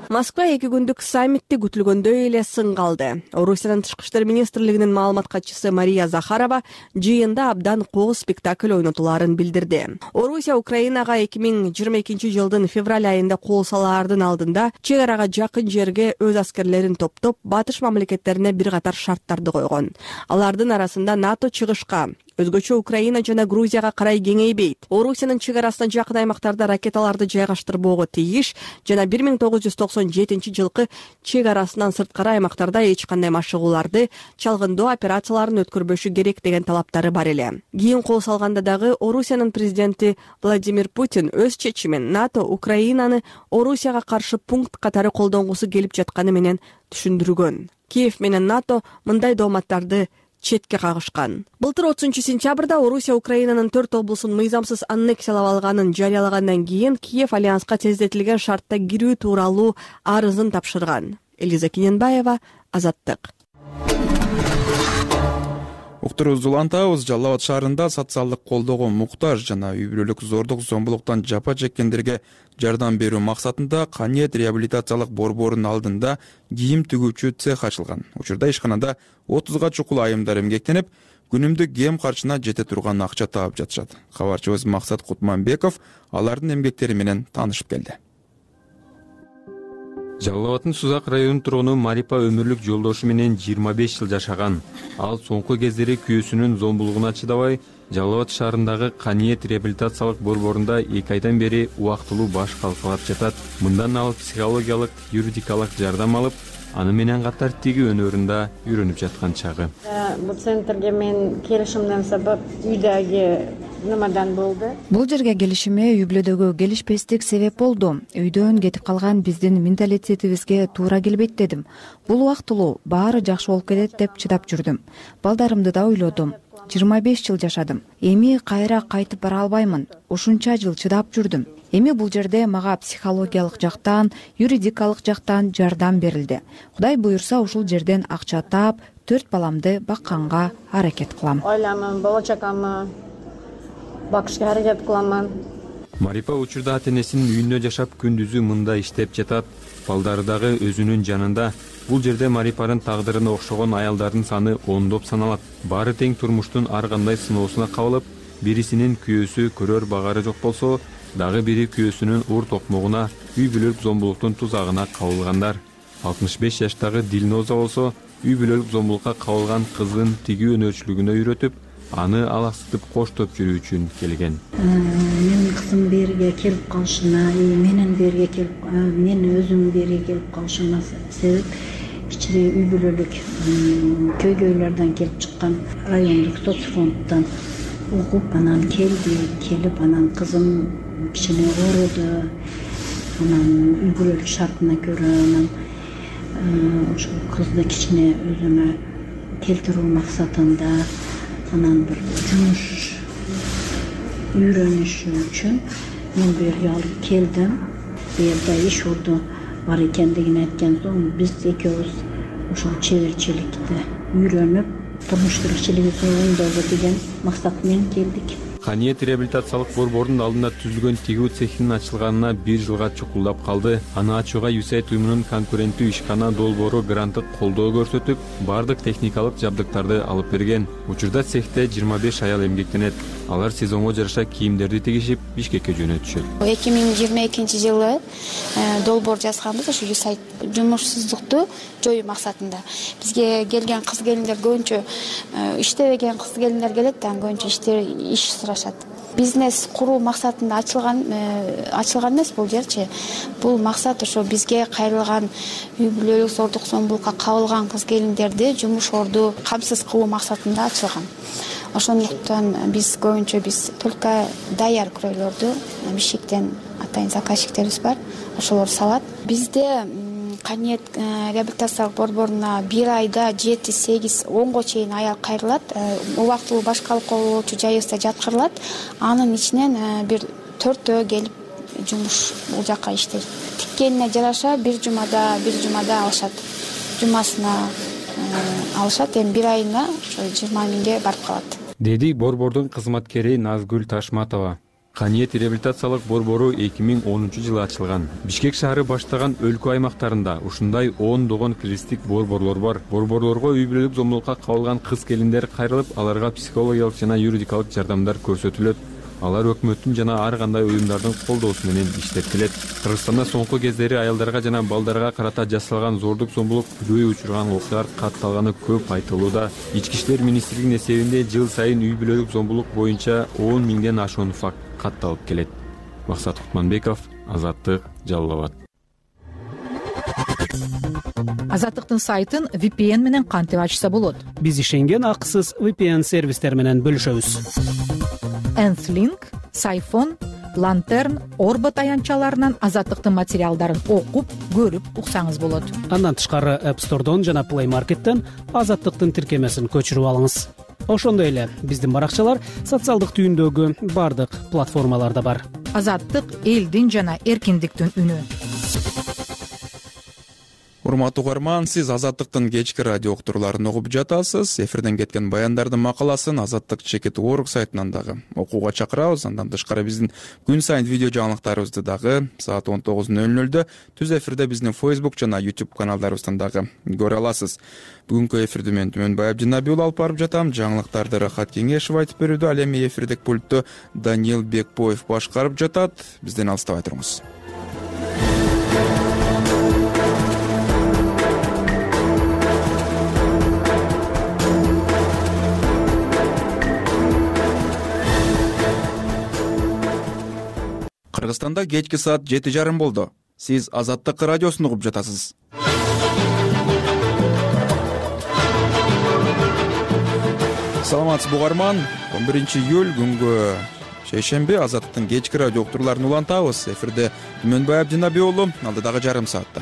Speaker 16: Москва эки күндүк саммитти күтүлгөндөй эле сын калды. Орусиянын тышкы иштер министрлигинин маалымат катчысы Мария Захарова жыйында абдан кооз спектакль ойнотулаарын билдирди. Орусия Украинага эки миң жыйырма экинчи жылдын февраль айында кол салаардын алдында чек арага жакын жерге өз аскерлерин топтоп, батыш мамлекеттерине бир катар шарттарды койгон. Алардын арасында НАТО чыгышка, өзгөчө Украина жана Грузияга карай кеңейбейт, Орусиянын чек арасына жакын аймактарда ракеталарды жайгаштырбоого тийиш жана бир миң тогуз жүз токсон жетинчи жылкы чек арасынан сырткары аймактарда эч кандай машыгууларды, чалгындоо операцияларын өткөрбөшү керек деген талаптары бар эле. Кийин кол салганда дагы Орусиянын президенти Владимир Путин өз чечимин НАТО Украинаны Орусияга каршы пункт катары колдонгусу келип жатканы менен түшүндүргөн. Киев менен НАТО мындай дооматтарды четке кагышкан. Былтыр отузунчу сентябрда Орусия Украинанын төрт облусун мыйзамсыз аннексиялап алганын жарыялагандан кийин Киев альянска тездетилген шартта кирүү тууралуу арызын тапшырган. Элиза Кененбаева, Азаттык.
Speaker 1: Уктурубузду улантабыз. Жалал Абад шаарында социалдык колдоого муктаж жана үй бүлөлүк зордук зомбулуктан жапа чеккендерге жардам берүү максатында Каниет реабилитациялык борборунун алдында кийим тигүүчү цех ачылган. Учурда ишканада отузга чукул айымдар эмгектенип, күнүмдүк кем карчына жете турган акча таап жатышат. Кабарчыбыз Максат Кутманбеков алардын эмгектери менен таанышып келди.
Speaker 20: Жалал Абаддын Сузак районунун тургуну Марипа өмүрлүк жолдошу менен жыйырма беш жыл жашаган. Ал соңку кездери күйөөсүнүн зомбулугуна чыдабай, Жалал Абад шаарындагы Каниет реабилитациялык борборунда эки айдан бери убактылуу баш калкалап жатат. Мындан ал психологиялык, юридикалык жардам алып, аны менен катар тиги өнөрүндө үйрөнүп жаткан чагы.
Speaker 21: Бул центрге мен келишимден сабап үйдөгү нымадан болду.
Speaker 9: Бул жерге келишиме үй бүлөдөгү келишпестик себеп болду. Үйдөн кетип калган биздин менталитетибизге туура келбейт дедим. Бул убактылуу, баары жакшы болуп кетет деп чыдап жүрдүм. Балдарымды да ойлодум. жыйырма беш жыл жашадым. Эми кайра кайтып бара албаймын. Ушунча жыл чыдап жүрдүм. Эми бул жерде мага психологиялык жактан, юридикалык жактан жардам берилди. Кудай буюрса ушул жерден акча таап, төрт баламды бакканга аракет кылам.
Speaker 21: Ойлаймын, болочокамы бакышка аракет кыламын.
Speaker 20: Марипа учурда ата-энесинин үйүндө жашап, күндүзү мында иштеп жатат. Балдары дагы өзүнүн жанында. Бул жерде Марипанын тагдырына окшогон аялдардын саны ондоп саналат. Баары тең турмуштун ар кандай сыноосуна кабылып, бирисинин күйөөсү көрөр багары жок болсо, дагы бири күйөөсүнүн ур токмогуна, үй бүлөлүк зомбулуктун тузагына кабылгандар. алтымыш беш жаштагы Дилноза болсо, үй бүлөлүк зомбулукка кабылган кызын тигүү өнөрчүлүгүнө үйрөтүп, аны алаксытып коштоп жүрүү үчүн келген.
Speaker 22: Менин кызым берге келип калышына, менин берге келип, мен өзүм берге келип калышыма себеп кичине үй бүлөлүк көйгөйлөрдөн келип чыккан райондук соцфонддон угуп, анан келди, келип анан кызым кичине ооруду, анан үй бүлөлүк шартына көрө анан ошол кызды кичине өзүмө келтирүү максатында анан бир жумуш үйрөнүшү үчүн мен бу жерге алып келдим. Бу жерде иш орду бар экендигин айткан соң биз экөөбүз ошол чеберчиликти үйрөнүп, турмуш тиричилиги оңдообу деген максат менен келдик.
Speaker 20: Каниет реабилитациялык борбордун алдында түзүлгөн тигүү цехинин ачылганына бир жылга чукулдап калды. Аны ачууга ю эс эй ай уюмунун конкуренттүү ишкана долбоору гранттык колдоо көрсөтүп, бардык техникалык жабдыктарды алып берген. Учурда цехте жыйырма беш аял эмгектенет. Алар сезонго жараша кийимдерди тигишип, Бишкекке жөнөтүшөт.
Speaker 23: эки миң жыйырма экинчи жылы долбоор жазганбыз ошо ю эс эй ай жумушсуздукту жоюу максатында. Бизге келген кыз келиндер көбүнчө иштебеген кыз келиндер келет да, көбүнчө иштер иш сурашат. Бизнес куруу максатында ачылган ачылган эмес бул жерчи. Бул максат ошо бизге кайрылган үй бүлөлүк зордук зомбулукка кабылган кыз келиндерди жумуш орду камсыз кылуу максатында ачылган. Ошондуктан биз көбүнчө биз только даяр күрөйлөрдү Бишкектен атайын заказчиктерибиз бар, ошолор салат. Бизде Каниет реабилитациялык борборуна бир айда жети, сегиз, онго чейин аял кайрылат. Убактылуу баш калкалоочу жайыбызда жаткырылат. Анын ичинен бир төртөө келип жумуш бул жака иштейт. Тиккенине жараша бир жумада, бир жумада алышат. Жумасына алышат, эми бир айына ошо жыйырма миңге барып калат.
Speaker 20: Деди борбордун кызматкери Назгүл Ташматова. Каниет реабилитациялык борбору эки миң онунчу жылы ачылган. Бишкек шаары баштаган өлкө аймактарында ушундай ондогон кризистик борборлор бар. Борборлорго үй бүлөлүк зомбулукка кабылган кыз келиндер кайрылып, аларга психологиялык жана юридикалык жардамдар көрсөтүлөт. Алар өкмөттүн жана ар кандай уюмдардын колдоосу менен иштеп келет. Кыргызстанда соңку кездери аялдарга жана балдарга карата жасалган зордук зомбулук күбөй учурган окуялар катталганы көп айтылууда. Ички иштер министрлигинин эсебинде жыл сайын үй бүлөлүк зомбулук боюнча он миңден ашуун факт катталып келет. Максат Кутманбеков, Азаттык, Жалал Абад.
Speaker 24: Азаттыктын сайтын ви пи эн менен кантип ачса болот?
Speaker 25: Биз ишенген акысыз ви пи эн сервистер менен бөлүшөбүз.
Speaker 24: Энслинк, Сайфон, Lantern, Орбо таянчаларынан Азаттыктын материалдарын окуп, көрүп уксаңыз болот.
Speaker 2: Андан тышкары App Store'дон жана Play Market'тен Азаттыктын тиркемесин көчүрүп алыңыз. Ошондой эле биздин баракчалар социалдык түйүндөгү бардык платформаларда бар.
Speaker 24: Азаттык элдин жана эркиндиктин үнү.
Speaker 1: Урматтуу угарман, сиз Азаттыктын кечки радио уктурууларын угуп жатасыз. Эфирден кеткен баяндардын макаласын Азаттык чекит точка орг сайтынан дагы окууга чакырабыз. Андан тышкары биздин күн сайын видео жаңылыктарыбызды дагы саат он тогуз ноль нолдо түз эфирде биздин Facebook жана YouTube каналдарыбыздан дагы көрө аласыз. Бүгүнкү эфирди мен Түмөнбай Абдинабий уулу алып барып жатам. Жаңылыктарды Рахат Кеңешев айтып берүүдө, ал эми эфирдик пультту Даниил Бекбоев башкарып жатат. Бизден алыстабай туруңуз. Кыргызстанда кечки саат жети жарым болду. Сиз Азаттык радиосун угуп жатасыз. Саламатсызбы угарман. он биринчи июль күнгө шейшемби Азаттыктын кечки радио уктурууларын улантабыз. Эфирде Түмөнбай Абдинабий уулу, алдыдагы жарым саатта.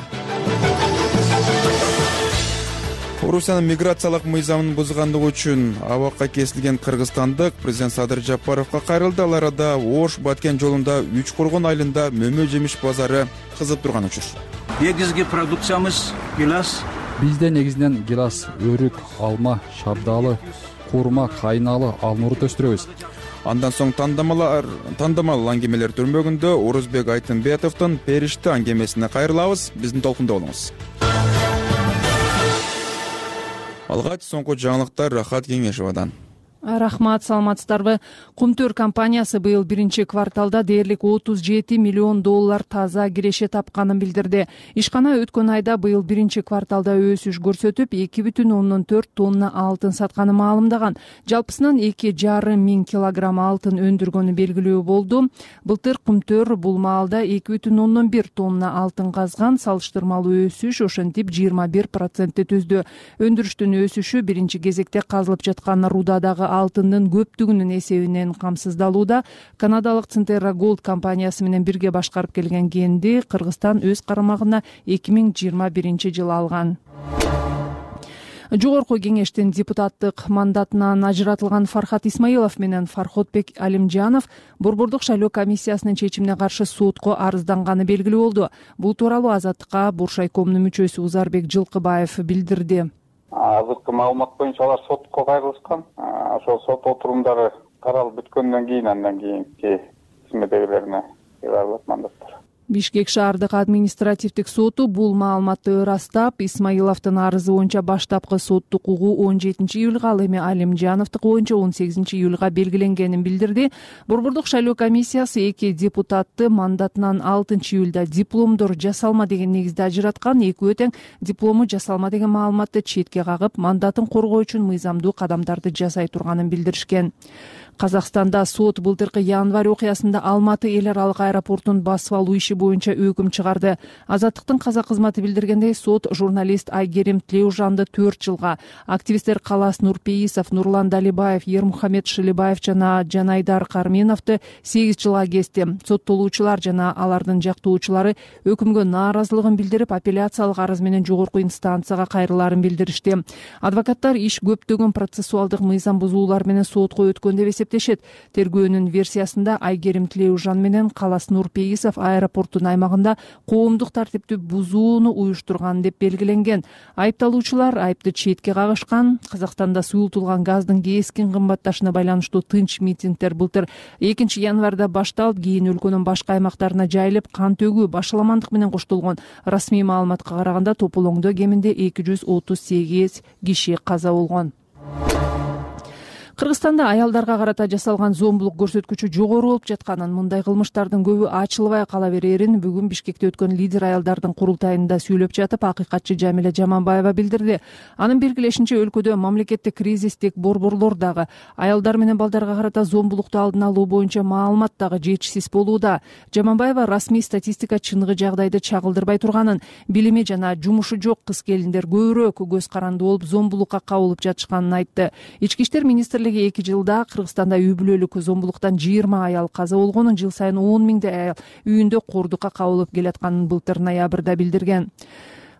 Speaker 1: Орусиянын миграциялык мыйзамын бузгандыгы үчүн абакка кесилген кыргызстандык президент Садыр Жапаровго кайрылды. Ал арада Ош Баткен жолунда Үч Кургун айылында мөмө жемиш базары кызып турган учур.
Speaker 4: Негизги продукциямыз гилас.
Speaker 5: Бизде негизинен гилас, өрүк, алма, шабдалы, курма, кайналы, алмурут өстүрөбүз.
Speaker 1: Андан соң тандамалар, тандамал аңгемелер түрмөгүндө Орузбек Айтымбетовдун Периште аңгемесине кайрылабыз. Биздин толкунда болуңуз. Алгач соңку жаңылыктар Рахат Кеңешевадан.
Speaker 7: Рахмат, саламатсыздарбы. Кумтөр компаниясы быйыл биринчи кварталда дээрлик отуз жети миллион доллар таза киреше тапканын билдирди. Ишкана өткөн айда быйыл биринчи кварталда өсүш көрсөтүп, эки бүтүн ондон төрт тонна алтын сатканы маалымдаган. Жалпысынан эки жарым миң килограмм алтын өндүргөнү белгилүү болду. Былтыр Кумтөр бул маалда эки бүтүн ондон бир тонна алтын казган, салыштырмалуу өсүш ошентип жыйырма бир процентти түздү. Өндүрүштүн өсүшү биринчи кезекте казылып жаткан рудадагы алтындын көптүгүнүн эсебинен камсыздалууда. Канадалык Центерра Голд компаниясы менен бирге башкарып келген кенди Кыргызстан өз карамагына эки миң жыйырма биринчи жылы алган. Жогорку кеңештин депутаттык мандатынан ажыратылган Фархат Исмаилов менен Фарходбек Алимжанов Борбордук шайлоо комиссиясынын чечимине каршы сотко арызданганы белгилүү болду. Бул тууралуу Азаттыкка Буршайкомдун мүчөсү Узарбек Жылкыбаев билдирди.
Speaker 25: Азыркы маалымат боюнча алар сотко кайрылышкан. Ошол сот отурумдары каралып бүткөндөн кийин андан кийинки кызметтегилерине кайрылат мандаттар.
Speaker 7: Бишкек шаардык административдик соту бул маалыматты ырастап, Исмаиловдун арызы боюнча баштапкы соттук угуу он жетинчи июлга, ал эми Алимжановдук боюнча он сегизинчи июлга белгиленгенин билдирди. Борбордук шайлоо комиссиясы эки депутатты мандатынан алтынчы июлда дипломдор жасалма деген негизде ажыраткан. Экөө тең диплому жасалма деген маалыматты четке кагып, мандатын коргоо үчүн мыйзамдуу кадамдарды жасай турганын билдиришкен. Казакстанда сот былтыркы январь окуясында Алматы эл аралык аэропортун басып алуу иши боюнча өкүм чыгарды. Азаттыктын казак кызматы билдиргендей, сот журналист Айгерим Тлеужанды төрт жылга, активисттер Калас Нурпеисов, Нурлан Далибаев, Ермухамед Шилибаев жана Жанайдар Карменовду сегиз жылга кести. Соттолуучулар жана алардын жактоочулары өкүмгө нааразылыгын билдирип, апелляциялык арыз менен жогорку инстанцияга кайрылаарын билдиришти. Адвокаттар иш көптөгөн процессуалдык мыйзам бузуулар менен сотко өткөн деп эсептешет. Тергөөнүн версиясында Айгерим Тлеужан менен Калас Нурпеисов аэропорттун аймагында коомдук тартипти бузууну уюштурган деп белгиленген. Айыпталуучулар айыпты четке кагышкан. Казакстанда суюлтулган газдын кескин кымбатташына байланыштуу тынч митингдер былтыр экинчи январда башталып, кийин өлкөнүн башка аймактарына жайылып, кан төгүү, башаламандык менен коштолгон. Расмий маалыматка караганда тополоңдо кеминде эки жүз отуз сегиз киши каза болгон. Кыргызстанда аялдарга карата жасалган зомбулук көрсөткүчү жогору болуп жатканын, мындай кылмыштардын көбү ачылбай кала берерин бүгүн Бишкекте өткөн лидер аялдардын курултайында сүйлөп жатып, акыйкатчы Жамиля Жаманбаева билдирди. Анын белгилешинче, өлкөдө мамлекеттик кризистик борборлор дагы аялдар менен балдарга карата зомбулукту алдын алуу боюнча маалымат дагы жетишсиз болууда. Жаманбаева расмий статистика чыныгы жагдайды чагылдырбай турганын, билими жана жумушу жок кыз келиндер көбүрөөк көз каранды болуп, зомбулукка кабылып жатышканын айтты. Ички иштер министрлиги элүү эки жылда Кыргызстанда үй бүлөлүк зомбулуктан жыйырма аял каза болгонун, жыл сайын он миңдей аял үйүндө курдукка кабылып келатканын былтыр ноябрда билдирген.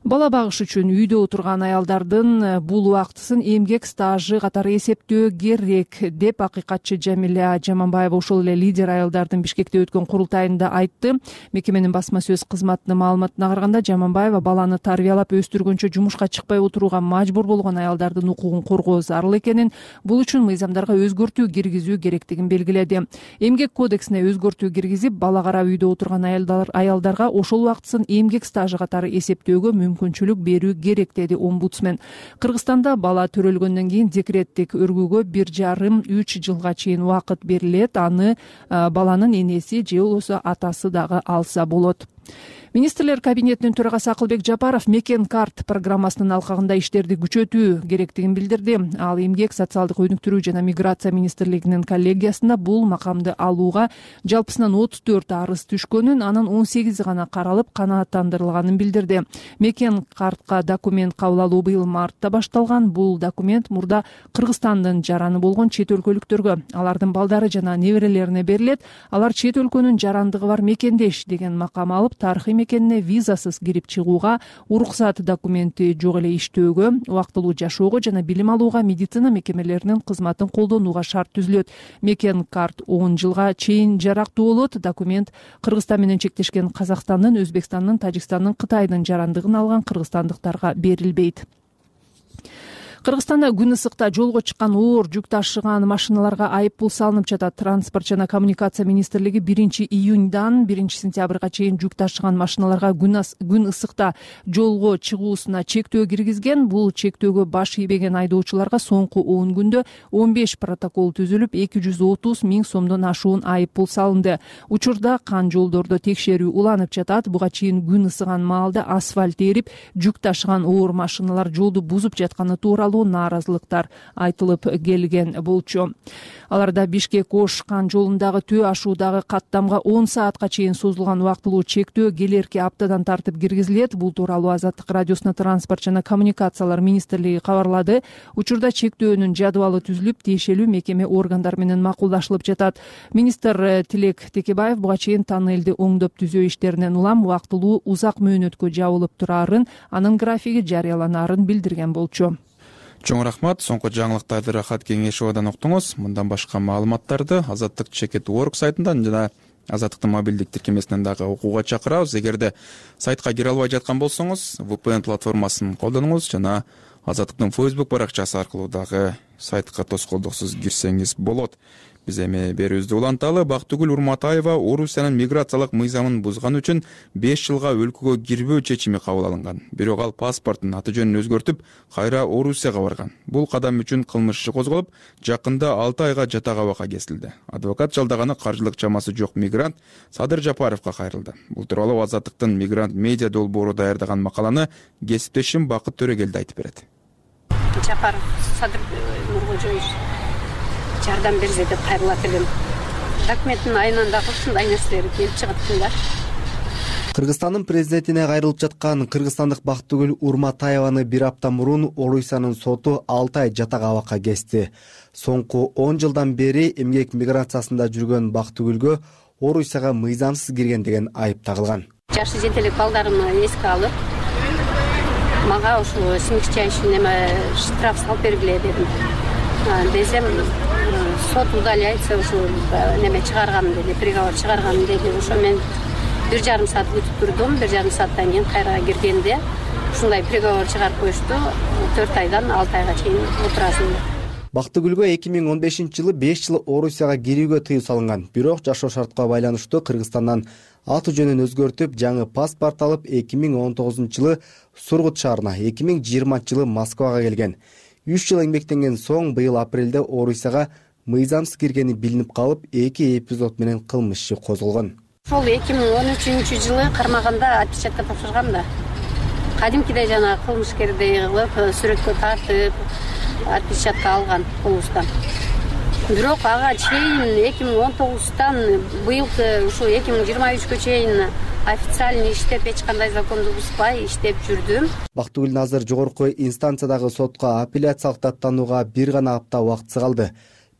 Speaker 7: Бала багыш үчүн үйдө отурган аялдардын бул убактысын эмгек стажы катары эсептөө керек деп акыйкатчы Жамиля Жаманбаева ошол эле лидер аялдардын Бишкекте өткөн курултайында айтты. Мекеменин басма сөз кызматынын маалыматына караганда, Жаманбаева баланы тарбиялап өстүргөнчө жумушка чыкпай отурууга мажбур болгон аялдардын укугун коргоо зарыл экенин, бул үчүн мыйзамдарга өзгөртүү киргизүү керектигин белгиледи. Эмгек кодексине өзгөртүү киргизип, бала карап үйдө отурган аялдарга ошол убактысын эмгек стажы катары эсептөөгө мүмкүнчүлүк берүү керек, деди омбудсмен. Кыргызстанда бала төрөлгөндөн кийин декреттик өргүүгө бир жарым үч жылга чейин убакыт берилет. Аны баланын энеси же болбосо атасы дагы алса болот. Министрлер кабинетинин төрагасы Акылбек Жапаров Мекен карт программасынын алкагында иштерди күчөтүү керектигин билдирди. Ал эмгек, социалдык өнүктүрүү жана миграция министрлигинин коллегиясында бул макамды алууга жалпысынан отуз төрт арыз түшкөнүн, анын он сегизи гана каралып канааттандырылганын билдирди. Мекен картка документ кабыл алуу быйыл мартта башталган. Бул документ мурда Кыргызстандын жараны болгон чет өлкөлүктөргө, алардын балдары жана неберелерине берилет. Алар чет өлкөнүн жарандыгы бар мекендеш деген макам алып, тарыхый мекенине визасыз кирип чыгууга, уруксат документи жок эле иштөөгө, убактылуу жашоого жана билим алууга, медицина мекемелеринин кызматын колдонууга шарт түзүлөт. Мекен карт он жылга чейин жарактуу болот. Документ Кыргызстан менен чектешкен Казакстандын, Өзбекстандын, Тажикстандын, Кытайдын жарандыгын алган кыргызстандыктарга берилбейт. Кыргызстанда күн ысыкта жолго чыккан оор жүк ташыган машиналарга айып пул салынып жатат. Транспорт жана коммуникация министрлиги биринчи июньдан биринчи сентябрга чейин жүк ташыган машиналарга күн ысыкта жолго чыгуусуна чектөө киргизген. Бул чектөөгө баш ийбеген айдоочуларга соңку он күндө он беш протокол түзүлүп, эки жүз отуз миң сомдон ашуун айып пул салынды. Учурда кан жолдордо текшерүү уланып жатат. Буга чейин күн ысыган маалда асфальт эрип, жүк ташыган оор машиналар жолду бузуп жатканы тууралуу нааразылыктар айтылып келген болчу. Аларда Бишкек-Ош кан жолундагы төө ашуудагы каттамга он саатка чейин созулган убактылуу чектөө келерки аптадан тартып киргизилет. Бул тууралуу Азаттык радиосуна транспорт жана коммуникациялар министрлиги кабарлады. Учурда чектөөнүн жадыбалы түзүлүп, тиешелүү мекеме органдар менен макулдашылып жатат. Министр Тилек Текебаев буга чейин тоннелди оңдоп түзөө иштеринен улам убактылуу узак мөөнөткө жабылып турарын, анын графиги жарыяланаарын билдирген болчу.
Speaker 1: Чоң рахмат. Соңку жаңылыктарды Рахат Кеңешовадан уктуңуз. Мындан башка маалыматтарды Азаттык чекит точка орг сайтынан жана Азаттыктын мобилдик тиркемесинен дагы окууга чакырабыз. Эгерде сайтка кире албай жаткан болсоңуз, ви пи эн платформасын колдонуңуз жана Азаттыктын Facebook баракчасы аркылуу дагы сайтка тоскоолдуксуз кирсеңиз болот. Биз эми берүүбүздү уланталы. Бактыгүл Урматаева Орусиянын миграциялык мыйзамын бузган үчүн беш жылга өлкөгө кирбөө чечими кабыл алынган. Бирок ал паспорттун аты жөнүн өзгөртүп, кайра Орусияга барган. Бул кадам үчүн кылмыш иши козголуп, жакында алты айга жатак абакка кесилди. Адвокат жалдаганы каржылык чамасы жок мигрант Садыр Жапаровго кайрылды. Бул тууралуу Азаттыктын мигрант медиа долбоору даярдаган макаланы кесиптешим Бакыт Төрөгелди айтып берет.
Speaker 3: Жапаров Садыр Нуркожоевич жардам берсе деп кайрылат элем. Документтин айынан дагы ушундай нерселер келип чыгат да.
Speaker 15: Кыргызстандын президентине кайрылып жаткан кыргызстандык Бактыгүл Урматаеваны бир апта мурун Орусиянын соту алты ай жатак абакка кести. Соңку он жылдан бери эмгек миграциясында жүргөн Бактыгүлгө Орусияга мыйзамсыз кирген деген айып тагылган.
Speaker 3: Жашы жетелик балдарымды эске алып, мага ушул смягчающий неме штраф салып бергиле дедим. Десем, сот удаляется, ушул неме чыгарган деди, приговор чыгарган деди. Ошо мен бир жарым саат күтүп турдум. Бир жарым сааттан кийин кайра киргенде ушундай приговор чыгарып коюшту. төрт айдан алты айга чейин отурасың деп.
Speaker 15: Бактыгүлгө эки миң он бешинчи жылы беш жыл Орусияга кирүүгө тыюу салынган. Бирок жашоо шартка байланыштуу Кыргызстандан аты жөнүн өзгөртүп, жаңы паспорт алып, эки миң он тогузунчу жылы Сургут шаарына, эки миң жыйырманчы жылы Москвага келген. үч жыл эмгектенген соң быйыл апрелде Орусияга мыйзамсыз киргени билинип калып, эки эпизод менен кылмыш иши козголгон.
Speaker 3: Ошол эки миң он үчүнчү жылы кармаганда отпечатка тапшыргам да. Кадимкидей жана кылмышкердей кылып, сүрөткө тартып, отпечатка алган колубуздан. Бирок ага чейин эки миң он тогуздан быйылкы ушул эки миң жыйырма үчкө чейин официально иштеп, эч кандай законду бузбай иштеп жүрдүм.
Speaker 15: Бактыгүл азыр жогорку инстанциядагы сотко апелляциялык даттанууга бир гана апта убактысы калды.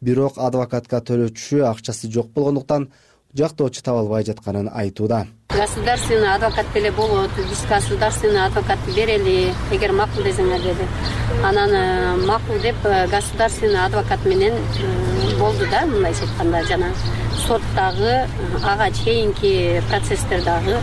Speaker 15: бирок адвокатка төлөтүшү акчасы жок болгондуктан жактоочу таба албай жатканын айтууда.
Speaker 3: Государственный адвокат деле болот, биз государственный адвокатты берели, эгер макул десеңер деди. Анан макул деп государственный адвокат менен болду да, мындайча айтканда жана соттагы ага чейинки процесстер дагы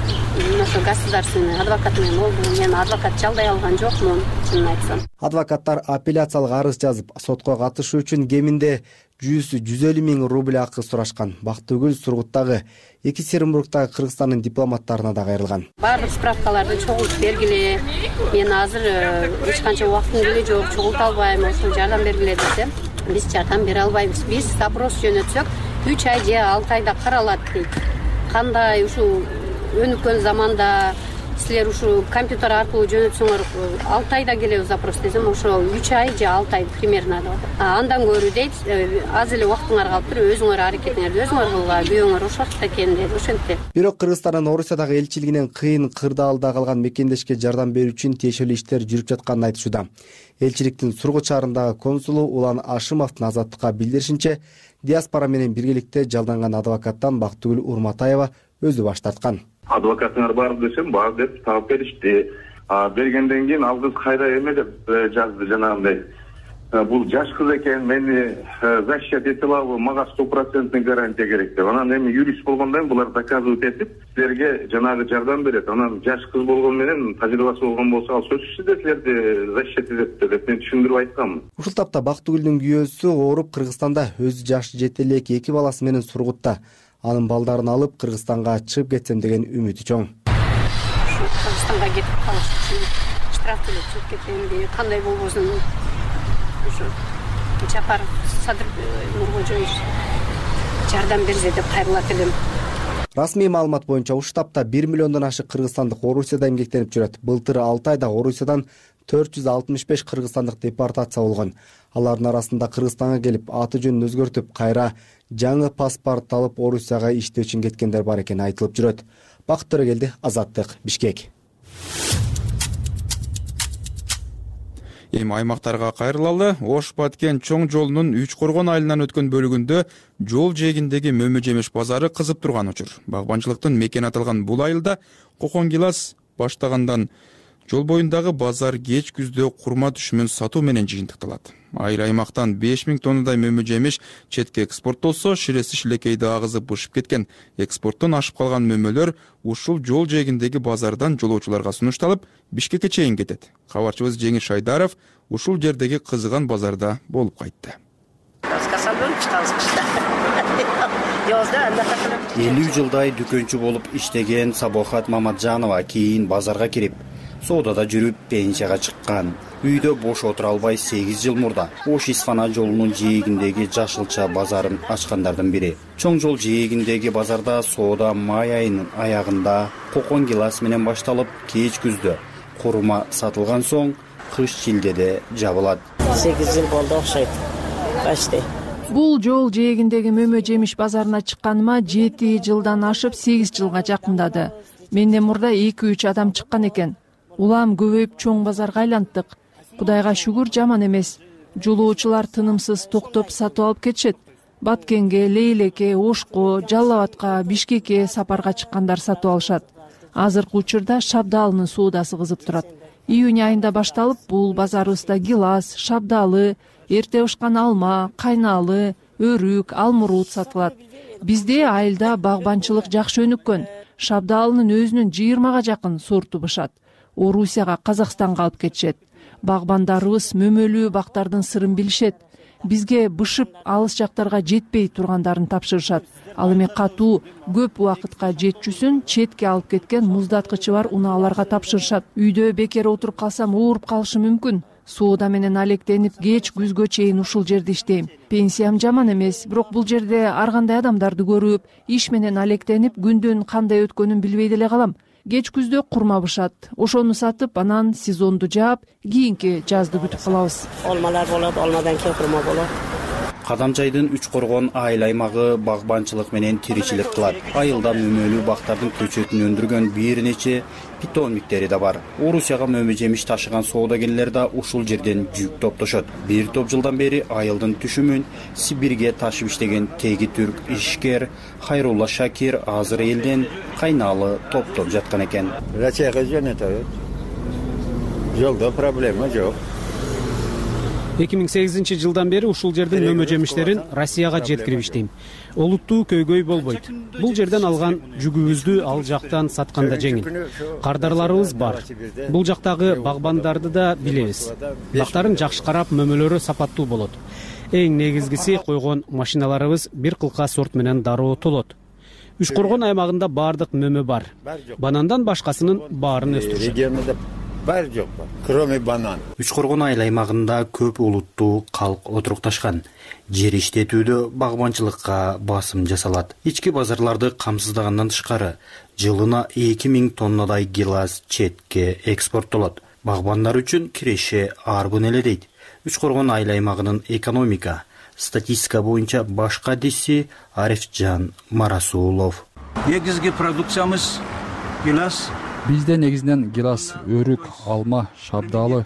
Speaker 3: ошо государственный адвокат менен болду. Мен адвокат жалдай алган жокмун, чынын айтсам.
Speaker 15: Адвокаттар апелляциялык арыз жазып, сотко катышуу үчүн кеминде жүз жүз элүү миң рубль акы сурашкан. Бактыгүл Сургуттагы, Екатеринбургдагы Кыргызстандын дипломаттарына да кайрылган.
Speaker 3: Баардык справкаларды чогултуп бергиле. Мен азыр эч канча убактым деле жок, чогулта албайм, ошо жардам бергиле десе, биз жардам бере албайбыз. Биз запрос жөнөтсөк, үч ай же алты айда каралат дейт. Кандай ушул өнүккөн заманда силер ушул компьютер аркылуу жөнөтсөңөр алты айда келебиз запрос десем, ошо үч ай же алты ай примерно. Андан көрүү дейт, аз эле убактыңар калыптыр, өзүңөр аракетиңерди өзүңөр кылгыла, күйөөңөр ошол экен деди, ошентти.
Speaker 15: Бирок Кыргызстандын Орусиядагы элчилигинен кыйын кырдаалда калган мекендешке жардам берүү үчүн тиешелүү иштер жүрүп жатканын айтышууда. Элчиликтин Сургут шаарындагы консулу Улан Ашымовдун Азаттыкка билдиришинче, диаспора менен биргеликте жалданган адвокаттан Бактыгүл Урматаева өзү баш тарткан.
Speaker 8: Адвокатыңар бар десем, бар деп таап беришти. Бергенден кийин ал кыз кайда эме деп жазды жанагындай. Бул жаш кыз экен, мени защищать эте алабы, мага сто процентный гарантия керек деп. Анан эми юрист болгондон булар доказывать этип, силерге жанагы жардам берет. Анан жаш кыз болгон менен тажрыйбасы болгон болсо, ал сөзсүз эле силерди защищать этет деп мен түшүндүрүп айткам.
Speaker 15: Ушул тапта Бактыгүлдүн күйөөсү ооруп Кыргызстанда, өзү жаш жете элек эки баласы менен Сургутта. Анын балдарын алып Кыргызстанга чыгып кетсем деген үмүтү чоң.
Speaker 3: Кыргызстанга кетип калыш үчүн штраф төлөп чыгып кетем деп, кандай болбосун ушу Жапар Садыр Нуркожоевич жардам берсе деп кайрылат элем.
Speaker 15: Расмий маалымат боюнча ушул таапта бир миллиондон ашык кыргызстандык Орусияда эмгектенип жүрөт. Былтыр алты айда Орусиядан төрт жүз алтымыш беш кыргызстандык депортация болгон. Алардын арасында Кыргызстанга келип аты жөнүн өзгөртүп, кайра жаңы паспорт алып Орусияга иштөө үчүн кеткендер бар экени айтылып жүрөт. Бакыт Төрөгелди, Азаттык, Бишкек.
Speaker 1: Эми аймактарга кайрылалы. Ош Баткен чоң жолунун Үч Коргон айылынан өткөн бөлүгүндө жол жээгиндеги мөмө жемиш базары кызып турган учур. Багбанчылыктын мекени аталган бул айылда кокон гилас баштагандан жол боюндагы базар кеч күздө курма түшүмүн сатуу менен жыйынтыкталат. Айыл аймактан беш миң тоннадай мөмө жемиш четке экспорттолсо, ширеси шилекейди агызып бышып кеткен. Экспорттон ашып калган мөмөлөр ушул жол жээгиндеги базардан жолоочуларга сунушталып, Бишкекке чейин кетет. Кабарчыбыз Жеңиш Шайдаров ушул жердеги кызыган базарда болуп кайтты.
Speaker 10: элүү жылдай дүкөнчү болуп иштеген Сабохат Мамаджанова кийин базарга кирип, соодада жүрүп пенсияга чыккан. Үйдө бош отура албай сегиз жыл мурда Ош-Исфана жолунун жээгиндеги жашылча базарын ачкандардын бири. Чоң жол жээгиндеги базарда соода май айынын аягында кокон гилас менен башталып, кеч күздө курма сатылган соң кыш шилдеде жабылат.
Speaker 11: сегиз жыл болду окшойт. Почти.
Speaker 7: Бул жол жээгиндеги мөмө жемиш базарына чыкканыма жети жылдан ашып сегиз жылга жакындады. Менден мурда эки үч адам чыккан экен. Улам көбөйүп чоң базарга айланттык. Кудайга шүгүр, жаман эмес. Жолоочулар тынымсыз токтоп сатып алып кетишет. Баткенге, Лейлекке, Ошко, Жалал Абадка, Бишкекке сапарга чыккандар сатып алышат. Азыркы учурда шабдаалынын соодасы кызып турат. Июнь айында башталып, бул базарыбызда гилас, шабдаалы, эрте бышкан алма, кайналы, өрүк, алмурут сатылат. Бизде айылда багбанчылык жакшы өнүккөн. Шабдаалынын өзүнүн жыйырмага жакын сорту бышат. Орусияга, Казакстанга алып кетишет. Багбандарыбыз мөмөлүү бактардын сырын билишет. Бизге бышып алыс жактарга жетпей тургандарын тапшырышат. Ал эми катуу көп убакытка жетчүсүн четке алып кеткен муздаткычы бар унааларга тапшырышат. Үйдө бекер отуруп калсам ооруп калышым мүмкүн. Соода менен алектенип кеч күзгө чейин ушул жерде иштейм. Пенсиям жаман эмес, бирок бул жерде ар кандай адамдарды көрүп, иш менен алектенип, күндүн кандай өткөнүн билбей деле калам. Кеч күздө курма бышат. Ошону сатып, анан сезонду жаап, кийинки жазды күтүп калабыз.
Speaker 11: Алмалар болот, алмадан кийин курма болот.
Speaker 10: Кадамчайдын Үч Коргон айыл аймагы багбанчылык менен тиричилик кылат. Айылда мөмөлүү бактардын көчөтүн өндүргөн бир нече питомниктери да бар. Орусияга мөмө жемиш ташыган соодагерлер да ушул жерден жүк топтошот. Бир топ жылдан бери айылдын түшүмүн Сибирге ташып иштеген теги түрк ишкер Хайрулла Шакир азыр элден кайналы топтоп жаткан экен.
Speaker 12: Россияга жөнөтөбүз. Жолдо проблема жок.
Speaker 2: эки миң сегизинчи жылдан бери ушул жердин мөмө жемиштерин Россияга жеткирип иштейм. Олуттуу көйгөй болбойт. Бул жерден алган жүгүбүздү ал жактан сатканда жеңил. Кардарларыбыз бар. Бул жактагы багбандарды да билебиз. Бактарын жакшы карап, мөмөлөрү сапаттуу болот. Эң негизгиси койгон машиналарыбыз бир кылка сорт менен дароо толот. Үч Коргон аймагында бардык мөмө бар. Банандан башкасынын баарын өстүрүшөт.
Speaker 12: Бар жок бар, кроме банан.
Speaker 10: Үч Коргон айыл аймагында көп улуттуу калк отурукташкан. Жер иштетүүдө багбанчылыкка басым жасалат. Ички базарларды камсыздагандан тышкары, жылына эки миң тоннадай гилас четке экспорттолот. Багбандар үчүн киреше арбын эле дейт. Үч Коргон айыл аймагынын экономика, статистика боюнча баш кадиси Арифжан Марасулов.
Speaker 4: Негизги продукциямыз гилас.
Speaker 5: Бизде негизинен гилас, өрүк, алма, шабдалы,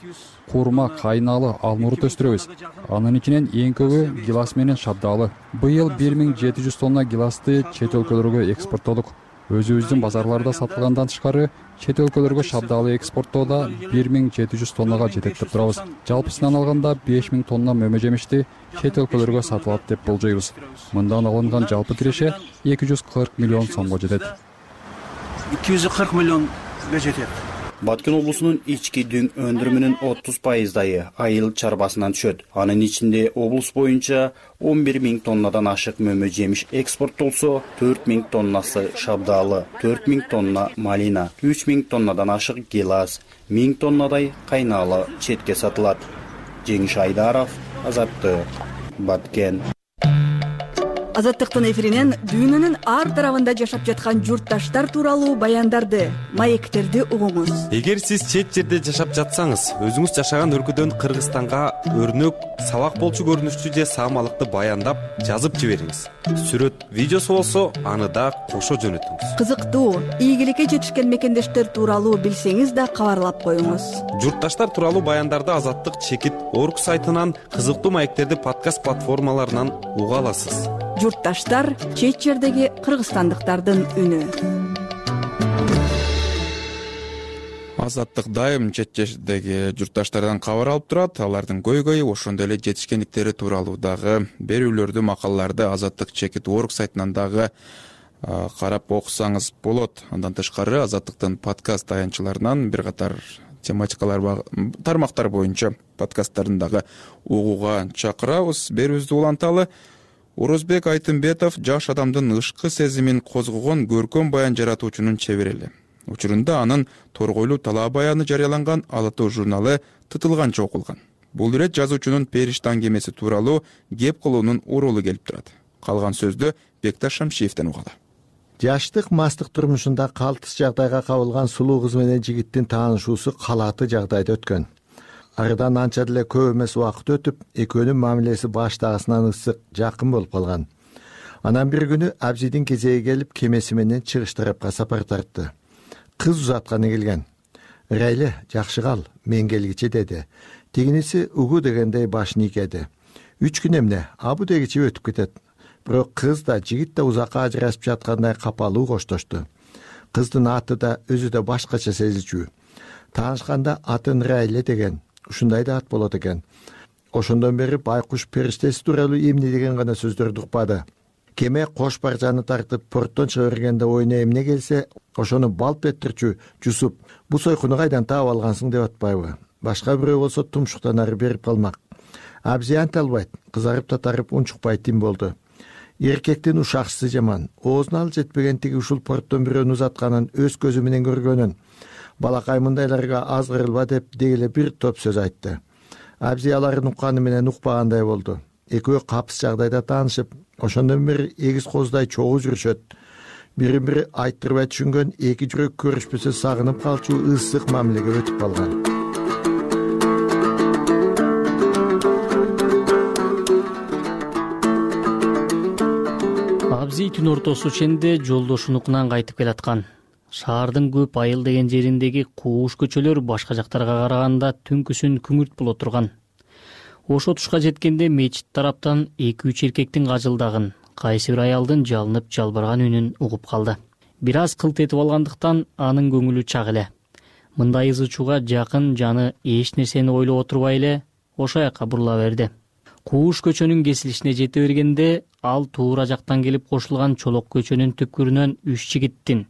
Speaker 5: курма, кайналы, алмурут өстүрөбүз. Анын ичинен эң көбү гилас менен шабдалы. Быйыл бир миң жети жүз тонна гиласты чет өлкөлөргө экспорттодук. Өзүбүздүн базарларда сатылгандан тышкары, чет өлкөлөргө шабдалы экспорттоодо бир миң жети жүз тоннага жетет деп турабыз. Жалпысынан алганда беш миң тонна мөмө жемишти чет өлкөлөргө сатылат деп болжойбуз. Мындан алынган жалпы киреше эки жүз кырк миллион сомго жетет.
Speaker 4: эки жүз кырк миллион жетет.
Speaker 10: Баткен облусунун ички дүң өндүрүмүнүн отуз пайыздайы айыл чарбасынан түшөт. Анын ичинде облус боюнча он бир миң тоннадан ашык мөмө жемиш экспорттолсо, төрт миң тоннасы шабдалы, төрт миң тонна малина, үч миң тоннадан ашык гилас, миң тоннадай кайналы четке сатылат. Жеңиш Айдаров, Азаттык, Баткен.
Speaker 16: Азаттыктын эфиринен дүйнөнүн ар тарабында жашап жаткан журтташтар тууралуу баяндарды, маектерди угуңуз.
Speaker 13: Эгер сиз чет жерде жашап жатсаңыз, өзүңүз жашаган өлкөдөн Кыргызстанга өрнөк, сабак болчу көрүнүштүү же саамалыкты баяндап жазып жибериңиз. Сүрөт, видеосу болсо, аны да кошо жөнөтүңүз.
Speaker 16: Кызыктуу, ийгиликке жетишкен мекендештер тууралуу билсеңиз да кабарлап коюңуз.
Speaker 13: Журтташтар тууралуу баяндарды Азаттык чекит орг сайтынан, кызыктуу маектерди подкаст платформаларынан уга аласыз.
Speaker 16: Журтташтар чет жердеги кыргызстандыктардын үнү.
Speaker 1: Азаттык дайым чет жердеги журтташтардан кабар алып турат. Алардын көйгөйү, ошондой эле жетишкендиктери тууралуу дагы берүүлөрдү, макалаларды Азаттык чекит орг сайтынан дагы карап окусаңыз болот. Андан тышкары Азаттыктын подкаст таянчыларынан бир катар тематикалар, тармактар боюнча подкасттарын дагы угууга чакырабыз. Берүүбүздү уланталы. Орозбек Айтымбетов жаш адамдын ышкы сезимин козгогон көркөм баян жаратуучунун чеберели. Учурунда анын торгойлуу талаа баяны жарыяланган Ала тоо журналы тытылганча окулган. Бул ирет жазуучунун периште аңгемеси тууралуу кеп кылуунун урулу келип турат. Калган сөздү Бекташ Шамшиевден угалы.
Speaker 14: Жаштык мастык турмушунда калтыс жагдайга кабылган сулуу кыз менен жигиттин таанышуусу калааты жагдайда өткөн. Арыдан анча деле көп эмес убакыт өтүп, экөөнүн мамилеси баштагысынан ысык, жакын болуп калган. Анан бир күнү Абзидин кезеги келип, кемеси менен чыгыш тарапка сапар тартты. Кыз узатканы келген. Райле, жакшы кал, мен келгиче деди. Тигиниси угу дегендей башын ийкеди. Үч күн эмне, абу дегиче өтүп кетет. Бирок кыз да, жигит да узакка ажырашып жаткандай капалуу коштошту. Кыздын аты да, өзү да башкача сезилчү. Таанышканда атын Райле деген. Ушундай да ат болот экен. Ошондон бери байкуш периштеси тууралуу эмне деген гана сөздөрдү укпады. Кеме кош баржаны тартып порттон чыга бергенде оюна эмне келсе, ошону балп этирчү Жусуп, бу сойкуну кайдан таап алгансың деп атпайбы? Башка бирөө болсо тумшуктан ары берип калмак. Абзи анте албайт, кызарып татарып унчукпай тим болду. Эркектин ушакчысы жаман, оозуна ал жетпеген тиги ушул порттон бирөөнү узатканын өз көзү менен көргөнүн. Балакай мындайларга аз кырылба деп дегеле бир топ сөз айтты. Абзи аларын укканы менен укпагандай болду. Экөө капыс жагдайда таанышып, ошондон бери эгиз коздай чогуу жүрүшөт. Бирин бири айттырбай түшүнгөн эки жүрөк көрүшпөсө сагынып калчу ысык мамилеге өтүп калган.
Speaker 6: түн ортосу ченде жолдошунукунан кайтып келаткан. Шаардын көп айыл деген жериндеги кууш көчөлөр башка жактарга караганда түнкүсүн күңүрт боло турган. Ошо тушка жеткенде мечит тараптан эки үч эркектин кажылдагын, кайсы бир аялдын жалынып жалбырган үнүн угуп калды. Бир аз кылт этип алгандыктан анын көңүлү чак эле. Мындай ызы чууга жакын жаны эч нерсени ойлоп отурбай эле ошо жака бурула берди. Кууш көчөнүн кесилишине жете бергенде ал туура жактан келип кошулган чолок көчөнүн түпкүрүнөн үч жигиттин,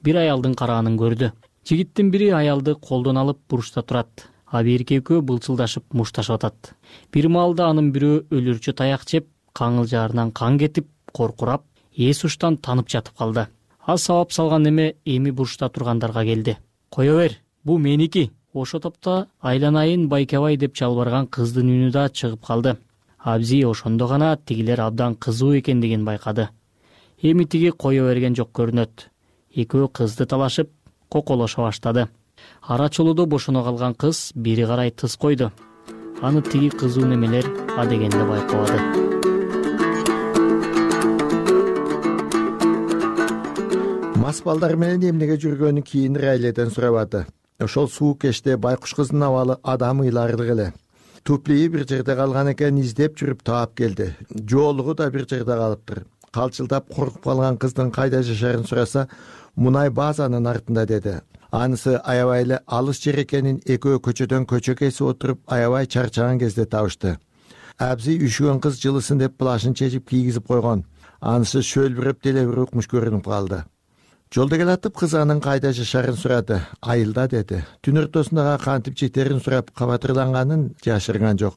Speaker 6: бир аялдын караганын көрдү. Жигиттин бири аялды колдон алып буручта турат, а бирки экөө былчылдашып мушташып атат. Бир маалда анын бирөө өлүрчү таяк жеп, каңылжаарынан кан кетип, коркурап, эс уштан танып жатып калды. Ал сабап салган неме эми буручта тургандарга келди. Кое бер, бу меники. Ошо топто айланайын Байкебай деп чалбарган кыздын үнү да чыгып калды. Абзи ошондо гана тигилер абдан кызуу экендигин байкады. Эми тиги кое берген жок көрүнөт. Экөө кызды талашып, коколошо баштады. Ара чолуудо бошоно калган кыз бери карай тыз койду. Аны тиги кызуу немелер адегенде байкабады.
Speaker 14: Мас балдар менен эмнеге жүргөнүн кийин Райледен сурабады. Ошол суук кечте байкуш кыздын абалы адам ыйларлык эле. Туплии бир жерде калган экен, издеп жүрүп таап келди. Жоолугу да бир жерде калыптыр. Калчылдап коркуп калган кыздын кайда жашаарын сураса, мунай базанын артында деди. Анысы аябай эле алыс жер экенин экөө көчөдөн көчө кесип отуруп аябай чарчаган кезде табышты. Абзи үшүгөн кыз жылысын деп плашын чечип кийгизип койгон. Анысы шөлбүрөп деле бир укмуш көрүнүп калды. Жолдо келатып кыз анын кайда жашаарын сурады. Айылда деди. Түн ортосунда кантип жетерин сурап кабатырланганын жашырган жок.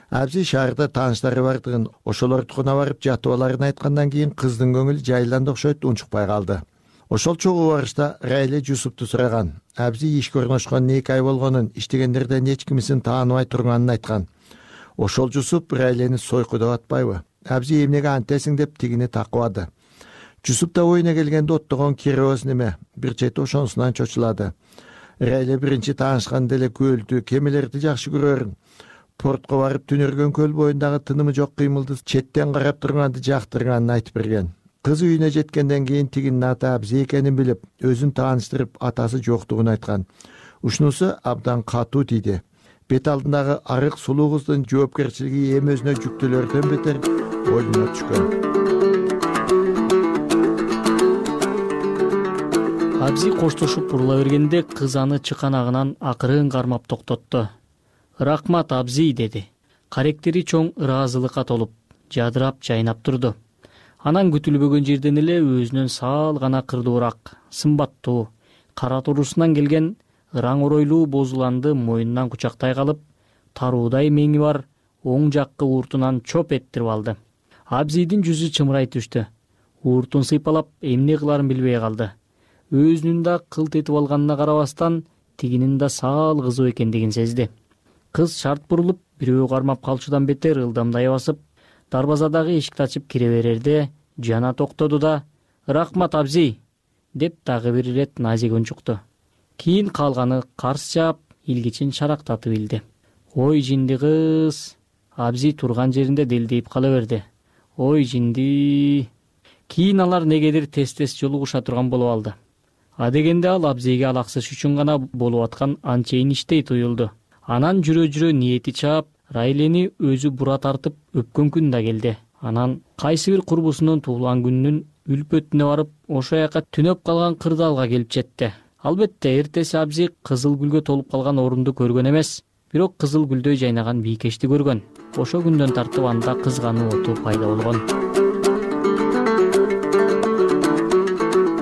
Speaker 14: Абзи шаарда тааныштары бардыгын, ошолордукуна барып жатып аларын айткандан кийин кыздын көңүлү жайланды окшойт унчукпай калды. Ошол чогуу барышта Райле Жусупту сураган. Абзи ишке орношкон эки ай болгонун, иштегендерден эч кимисин тааныбай турганын айткан. Ошол Жусуп Райлени сойкудап атпайбы? Абзи эмнеге антесиң деп тигини такыбады. Жусуп да оюна келгенде оттогон киребиз неме, бир чети ошонусунан чочулады. Райле биринчи таанышканда эле көлдү, кемелерди жакшы көрөрүн. Портко барып түнөргөн көл боюндагы тынымы жок кыймылды четтен карап турганды жактырганын айтып берген. Кыз үйүнө жеткенден кийин тигинин аты Абзи экенин билип, өзүн тааныштырып, атасы жоктугун айткан. Ушунусу абдан катуу тийди. Бет алдындагы арык сулуу кыздын жоопкерчилиги эми өзүнө жүктөлөрдөн бетер боюна түшкөн.
Speaker 6: Абзи коштошуп бурула бергенде кыз аны чыканагынан акырын кармап токтотту. Рахмат Абзи деди. Каректери чоң ыраазылыкка толуп, жадырап жайнап турду. Анан күтүлбөгөн жерден эле өзүнөн саал гана кырдуураак, сымбаттуу, кара турусунан келген ыраң оройлуу бозуланды мойнунан кучактай калып, таруудай меңи бар оң жаккы ууртунан чоп эттирип алды. Абзидин жүзү чымырай түштү. Ууртун сыйпалап эмне кыларын билбей калды. Өзүнүн да кылт этип алганына карабастан, тигинин да саал кызуу экендигин сезди. Кыз шарт бурулуп, бирөө кармап калчудан бетер ылдамдай басып, дарбазадагы эшикти ачып кире берерде жана токтоду да «Рахмат Абзи» деп дагы бир ирет назик унчукту. Кийин калганы карс жаап, илгичин шарактатып илди. Ой жинди кыз. Абзи турган жеринде делдейип кала берди. Ой жинди. Кийин алар негедир тез-тез жолугуша турган болуп алды. Адегенде ал Абзиге алаксыш үчүн гана болуп аткан анчейин иштей туюлду. Анан жүрө-жүрө ниети чаап, Райлени өзү бура тартып өпкөн күн да келди. Анан кайсы бир курбусунун туулган күнүнүн үлпөтүнө барып, ошо жака түнөп калган кырдаалга келип жетти. Албетте, эртеси Абзи кызыл гүлгө толуп калган орунду көргөн эмес, бирок кызыл гүлдөй жайнаган бийкешти көргөн. Ошо күндөн тартып анда кызгануу оту пайда болгон.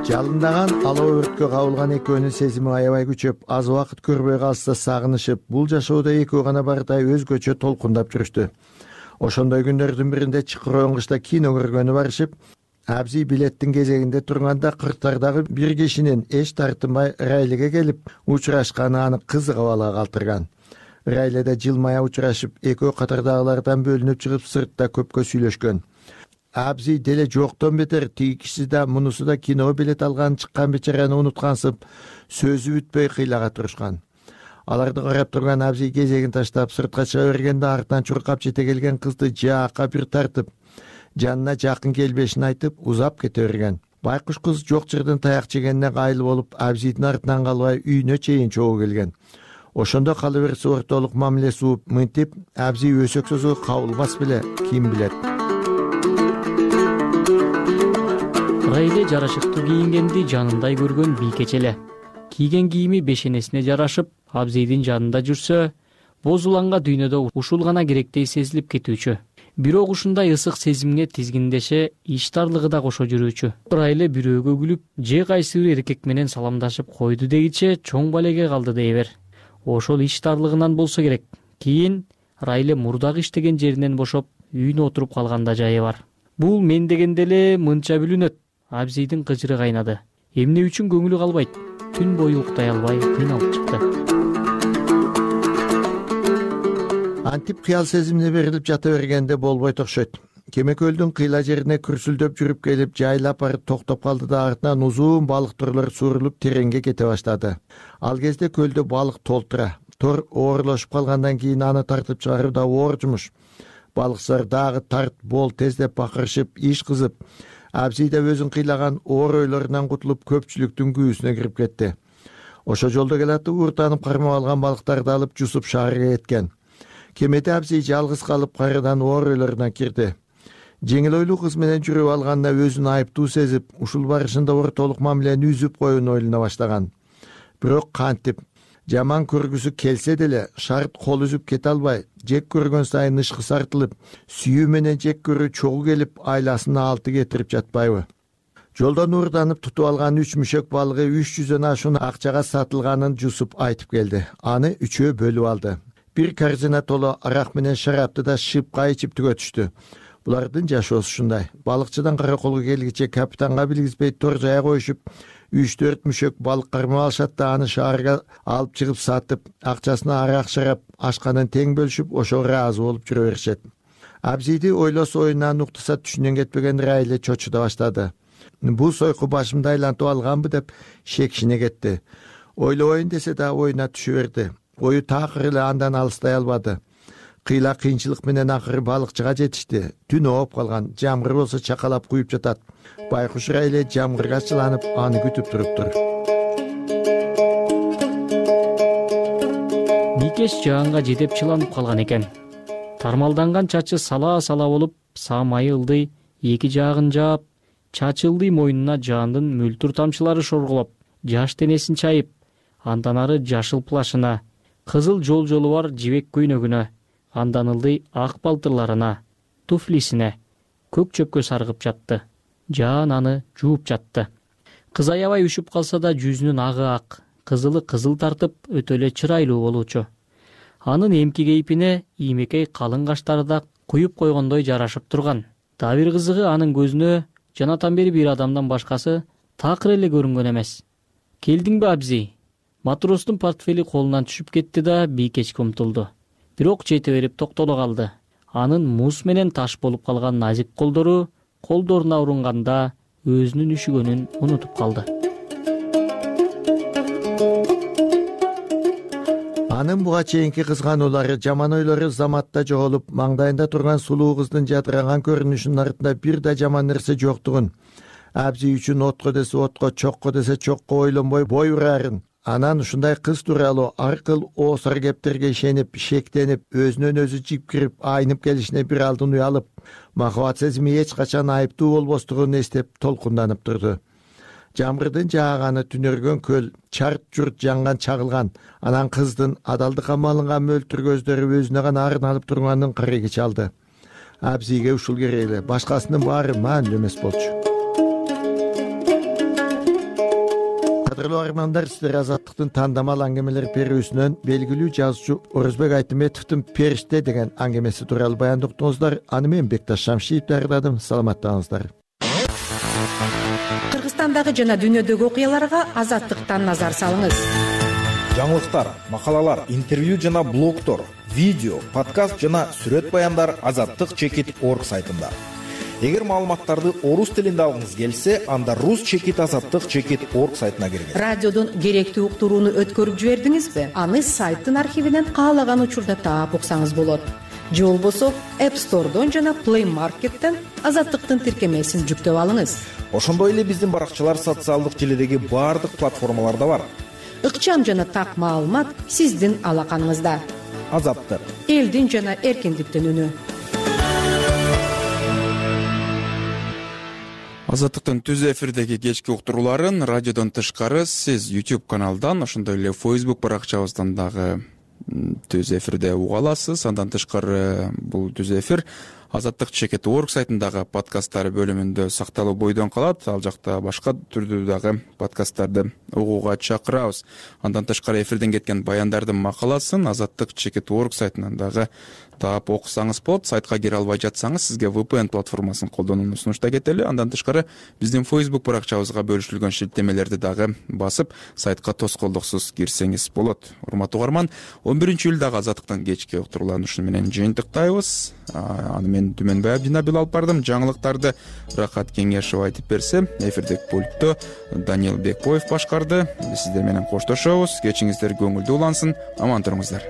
Speaker 14: Жалындаган алоо өрткө кабылган экөөнүн сезими аябай күчөп, аз убакыт көрбөй калса сагынышып, бул жашоодо экөө гана бардай өзгөчө толкундап жүрүштү. Ошондой күндөрдүн биринде чыкыроон кышта кино көргөнү барышып, Абзи билеттин кезегинде турганда кырктардагы бир кишинин эч тартынбай Райлеге келип учурашканы аны кызык абалга калтырган. Райледе жылмая учурашып, экөө катардагылардан бөлүнүп чыгып сыртта көпкө сүйлөшкөн. Абзи деле жоктон бетер тиги киши да мунусу да киного билет алган чыккан бечараны унуткансып, сөзү бүтпөй кыйлага турушкан. Аларды карап турган Абзи кезегин таштап сыртка чыга бергенде артынан чуркап жете келген кызды жаакка бир тартып, жанына жакын келбешин айтып узап кете берген. Байкуш кыз жок жерден таяк жегенине кайыл болуп, абзийдин артынан калбай үйүнө чейин чогуу келген. Ошондо кала берсе ортолук мамиле сууп мынтип абзий өсөксөзү кабылбас беле, ким билет.
Speaker 6: Райле жарашыктуу кийингенди жанындай көргөн бийкеч эле. Кийген кийими бешенесине жарашып, абзийдин жанында жүрсө, бозуланга дүйнөдө ушул гана керектей сезилип кетүүчү. Бирок ушундай ысык сезимге тизгиндеше иштарлыгы да кошо жүрүүчү. Райле бирөөгө күлүп, же кайсы бир эркек менен саламдашып койду дегиче чоң балеге калды дейбер. Ошол иштарлыгынан болсо керек. Кийин Райле мурдагы иштеген жеринен бошоп, үйүнө отуруп калганда жайы бар. Бул мен дегенде эле мынча бүлүнөт. Абзийдин кыжыры кайнады. Эмне үчүн көңүлү калбайт? Түн бою уктай албай кыйналып чыкты.
Speaker 14: Антип кыял сезимине берилип жата бергенде болбойт окшойт. Кеме көлдүн кыйла жерине күрсүлдөп жүрүп келип, жайлап барып токтоп калды да артынан узун балык торлор сурулуп тереңге кете баштады. Ал кезде көлдө балык толтура. Тор оорлошуп калгандан кийин аны тартып чыгаруу да оор жумуш. Балыкчылар дагы тарт бол тездеп бакырышып, иш кызып, абзий да өзүн кыйлаган оор ойлорунан кутулуп көпчүлүктүн күүсүнө кирип кетти. Ошо жолдо келатып ууртанып кармап алган балыктарды алып жусуп шаарга кеткен. Кемеде абзий жалгыз калып кайрадан оор ойлоруна кирди. Жеңил ойлуу кыз менен жүрүп алганына өзүн айыптуу сезип, ушул барышында ортолук мамилени үзүп коюуну ойлоно баштаган. Бирок кантип жаман көргүсү келсе деле, шарт кол үзүп кете албай, жек көргөн сайын ышкысы артылып, сүйүү менен жек көрүү чогуу келип, айласына алты кетирип жатпайбы? Жолдон уурданып тутуп алган үч мүшөк балыгы үч жүздөн ашуун акчага сатылганын жусуп айтып келди. Аны үчөө бөлүп алды. Бир корзина толо арак менен шарапты да шыпка ичип түгөтүштү. Булардын жашоосу ушундай. Балыкчыдан караколго келгиче капитанга билгизбей тор жая коюшуп, үч төрт мүшөк балык кармап алышат да аны шаарга алып чыгып сатып, акчасына арак шарап ашканын тең бөлүшүп, ошого ыраазы болуп жүрө беришет. Абзийди ойлосо оюнан уктаса түшүнөн кетпеген Райле чочуда баштады. Бул сойку башымды айлантып алганбы деп шекшине кетти. Ойлобойн десе да оюна түшө берди. Ою такыр эле андан алыстай албады. Кыйла кыйынчылык менен акыры балыкчыга жетишти. Түн ооп калган, жамгыр болсо чакалап куюп жатат. Байкуш Райле жамгырга чыланып, аны күтүп туруптур.
Speaker 6: Бийкеш жаанга жетип чыланып калган экен. Тармалданган чачы сала-сала болуп, самайы ылдый, эки жагын жаап, чачы ылдый мойнуна жаандын мөлтүр тамчылары шорголоп, жаш денесин чайып, андан ары жашыл плашына, кызыл жол-жолу бар жибек көйнөгүнө, андан ылдый ак балтырларына, туфлисине, көк чөпкө саргып жатты. Жаан аны жууп жатты. Кыз аябай үшүп калса да жүзүнүн агы ак, кызылы кызыл тартып, өтө эле чырайлуу болуучу. Анын эмки кейпине иймекей калың каштары да куюп койгондой жарашып турган. Дагы бир кызыгы анын көзүнө жанатан бери бир адамдан башкасы такыр эле көрүнгөн эмес. Келдиңби абзий? Матростун портфели колунан түшүп кетти да бийкечке умтулду. Бирок жете берип токтоло калды. Анын муз менен таш болуп калган назик колдору колдоруна урунганда өзүнүн үшүгөнүн унутуп калды.
Speaker 14: Анын буга чейинки кызгануулары, жаман ойлору заматта жоголуп, маңдайында турган сулуу кыздын жадыраган көрүнүшүнүн артында бир да жаман нерсе жоктугун, абзий үчүн отко десе отко, чокко десе чокко ойлонбой бой урарын, анан ушундай кыз тууралуу аркыл оосор кептерге ишенип, шектенип, өзүнөн өзү жипкирип, айнып келишине бир алдын уялып, махабат сезими эч качан айыптуу болбостугун эстеп толкунданып турду. Жамгырдын жааганы түнөргөн көл, чарт журт жанган чагылган, анан кыздын адалдыкка малынган мөлтүр көздөрү өзүнө гана арналып турганын кыреги чалды. Абзийге ушул керек эле, башкасынын баары маанилүү эмес болчу. Кадырлуу армандар, сиздер Азаттыктын тандамал аңгемелер берүүсүнөн белгилүү жазуучу Орозбек Айтымбетовдун «Периште» деген аңгемеси тууралуу баяндоктуңуздар. Аны мен Бекташ Шамшиев даярдадым. Саламаттаңыздар.
Speaker 24: Кыргызстандагы жана дүйнөдөгү окуяларга Азаттыктан назар салыңыз.
Speaker 9: Жаңылыктар, макалалар, интервью жана блогтор, видео, подкаст жана сүрөт баяндар азаттык чекит точка орг сайтында. Эгер маалыматтарды орус тилинде алгыңыз келсе, анда рус чекит азаттык чекит точка орг сайтына киргиз.
Speaker 24: Радиодон керектүү уктурууну өткөрүп жибердиңизби? Аны сайттын архивинен каалаган учурда таап уксаңыз болот. же болбосо App Store'дон жана Play Market'тен Азаттыктын тиркемесин жүктөп алыңыз.
Speaker 9: Ошондой эле биздин баракчалар социалдык желидеги баардык платформаларда бар.
Speaker 24: Ыкчам жана так маалымат сиздин алаканыңызда.
Speaker 9: Азаттык,
Speaker 24: элдин жана эркиндиктин үнү.
Speaker 1: Азаттыктын түз эфирдеги кечки уктурууларын радиодон тышкары сиз YouTube каналдан, ошондой эле Facebook баракчабыздан дагы түз эфирде уга аласыз. Андан тышкары бул түз эфир азаттык чекит точка орг сайтындагы подкасттар бөлүмүндө сакталуу бойдон калат. Ал жакта башка түрдүү дагы подкасттарды угууга чакырабыз. Андан тышкары эфирден кеткен баяндардын макаласын азаттык чекит точка орг сайтынан дагы таап окусаңыз болот. Сайтка кире албай жатсаңыз, сизге ви пи эн платформасын колдонууну сунуштап кетели. Андан тышкары биздин Facebook баракчабызга бөлүшүлгөн шилтемелерди дагы басып, сайтка тоскоолдуксуз кирсеңиз болот. Урматтуу угарман, он биринчи июлдагы азаттыктын кечки уктурууларын ушуну менен жыйынтыктайбыз. Аны мен Түмөнбай Абдинабил алып бардым. Жаңылыктарды Рахат Кеңешов айтып берсе, эфирдик пультту Даниил Бекбоев башкарды. Биз сиздер менен коштошобуз. Кечиңиздер көңүлдүү улансын. Аман туруңуздар.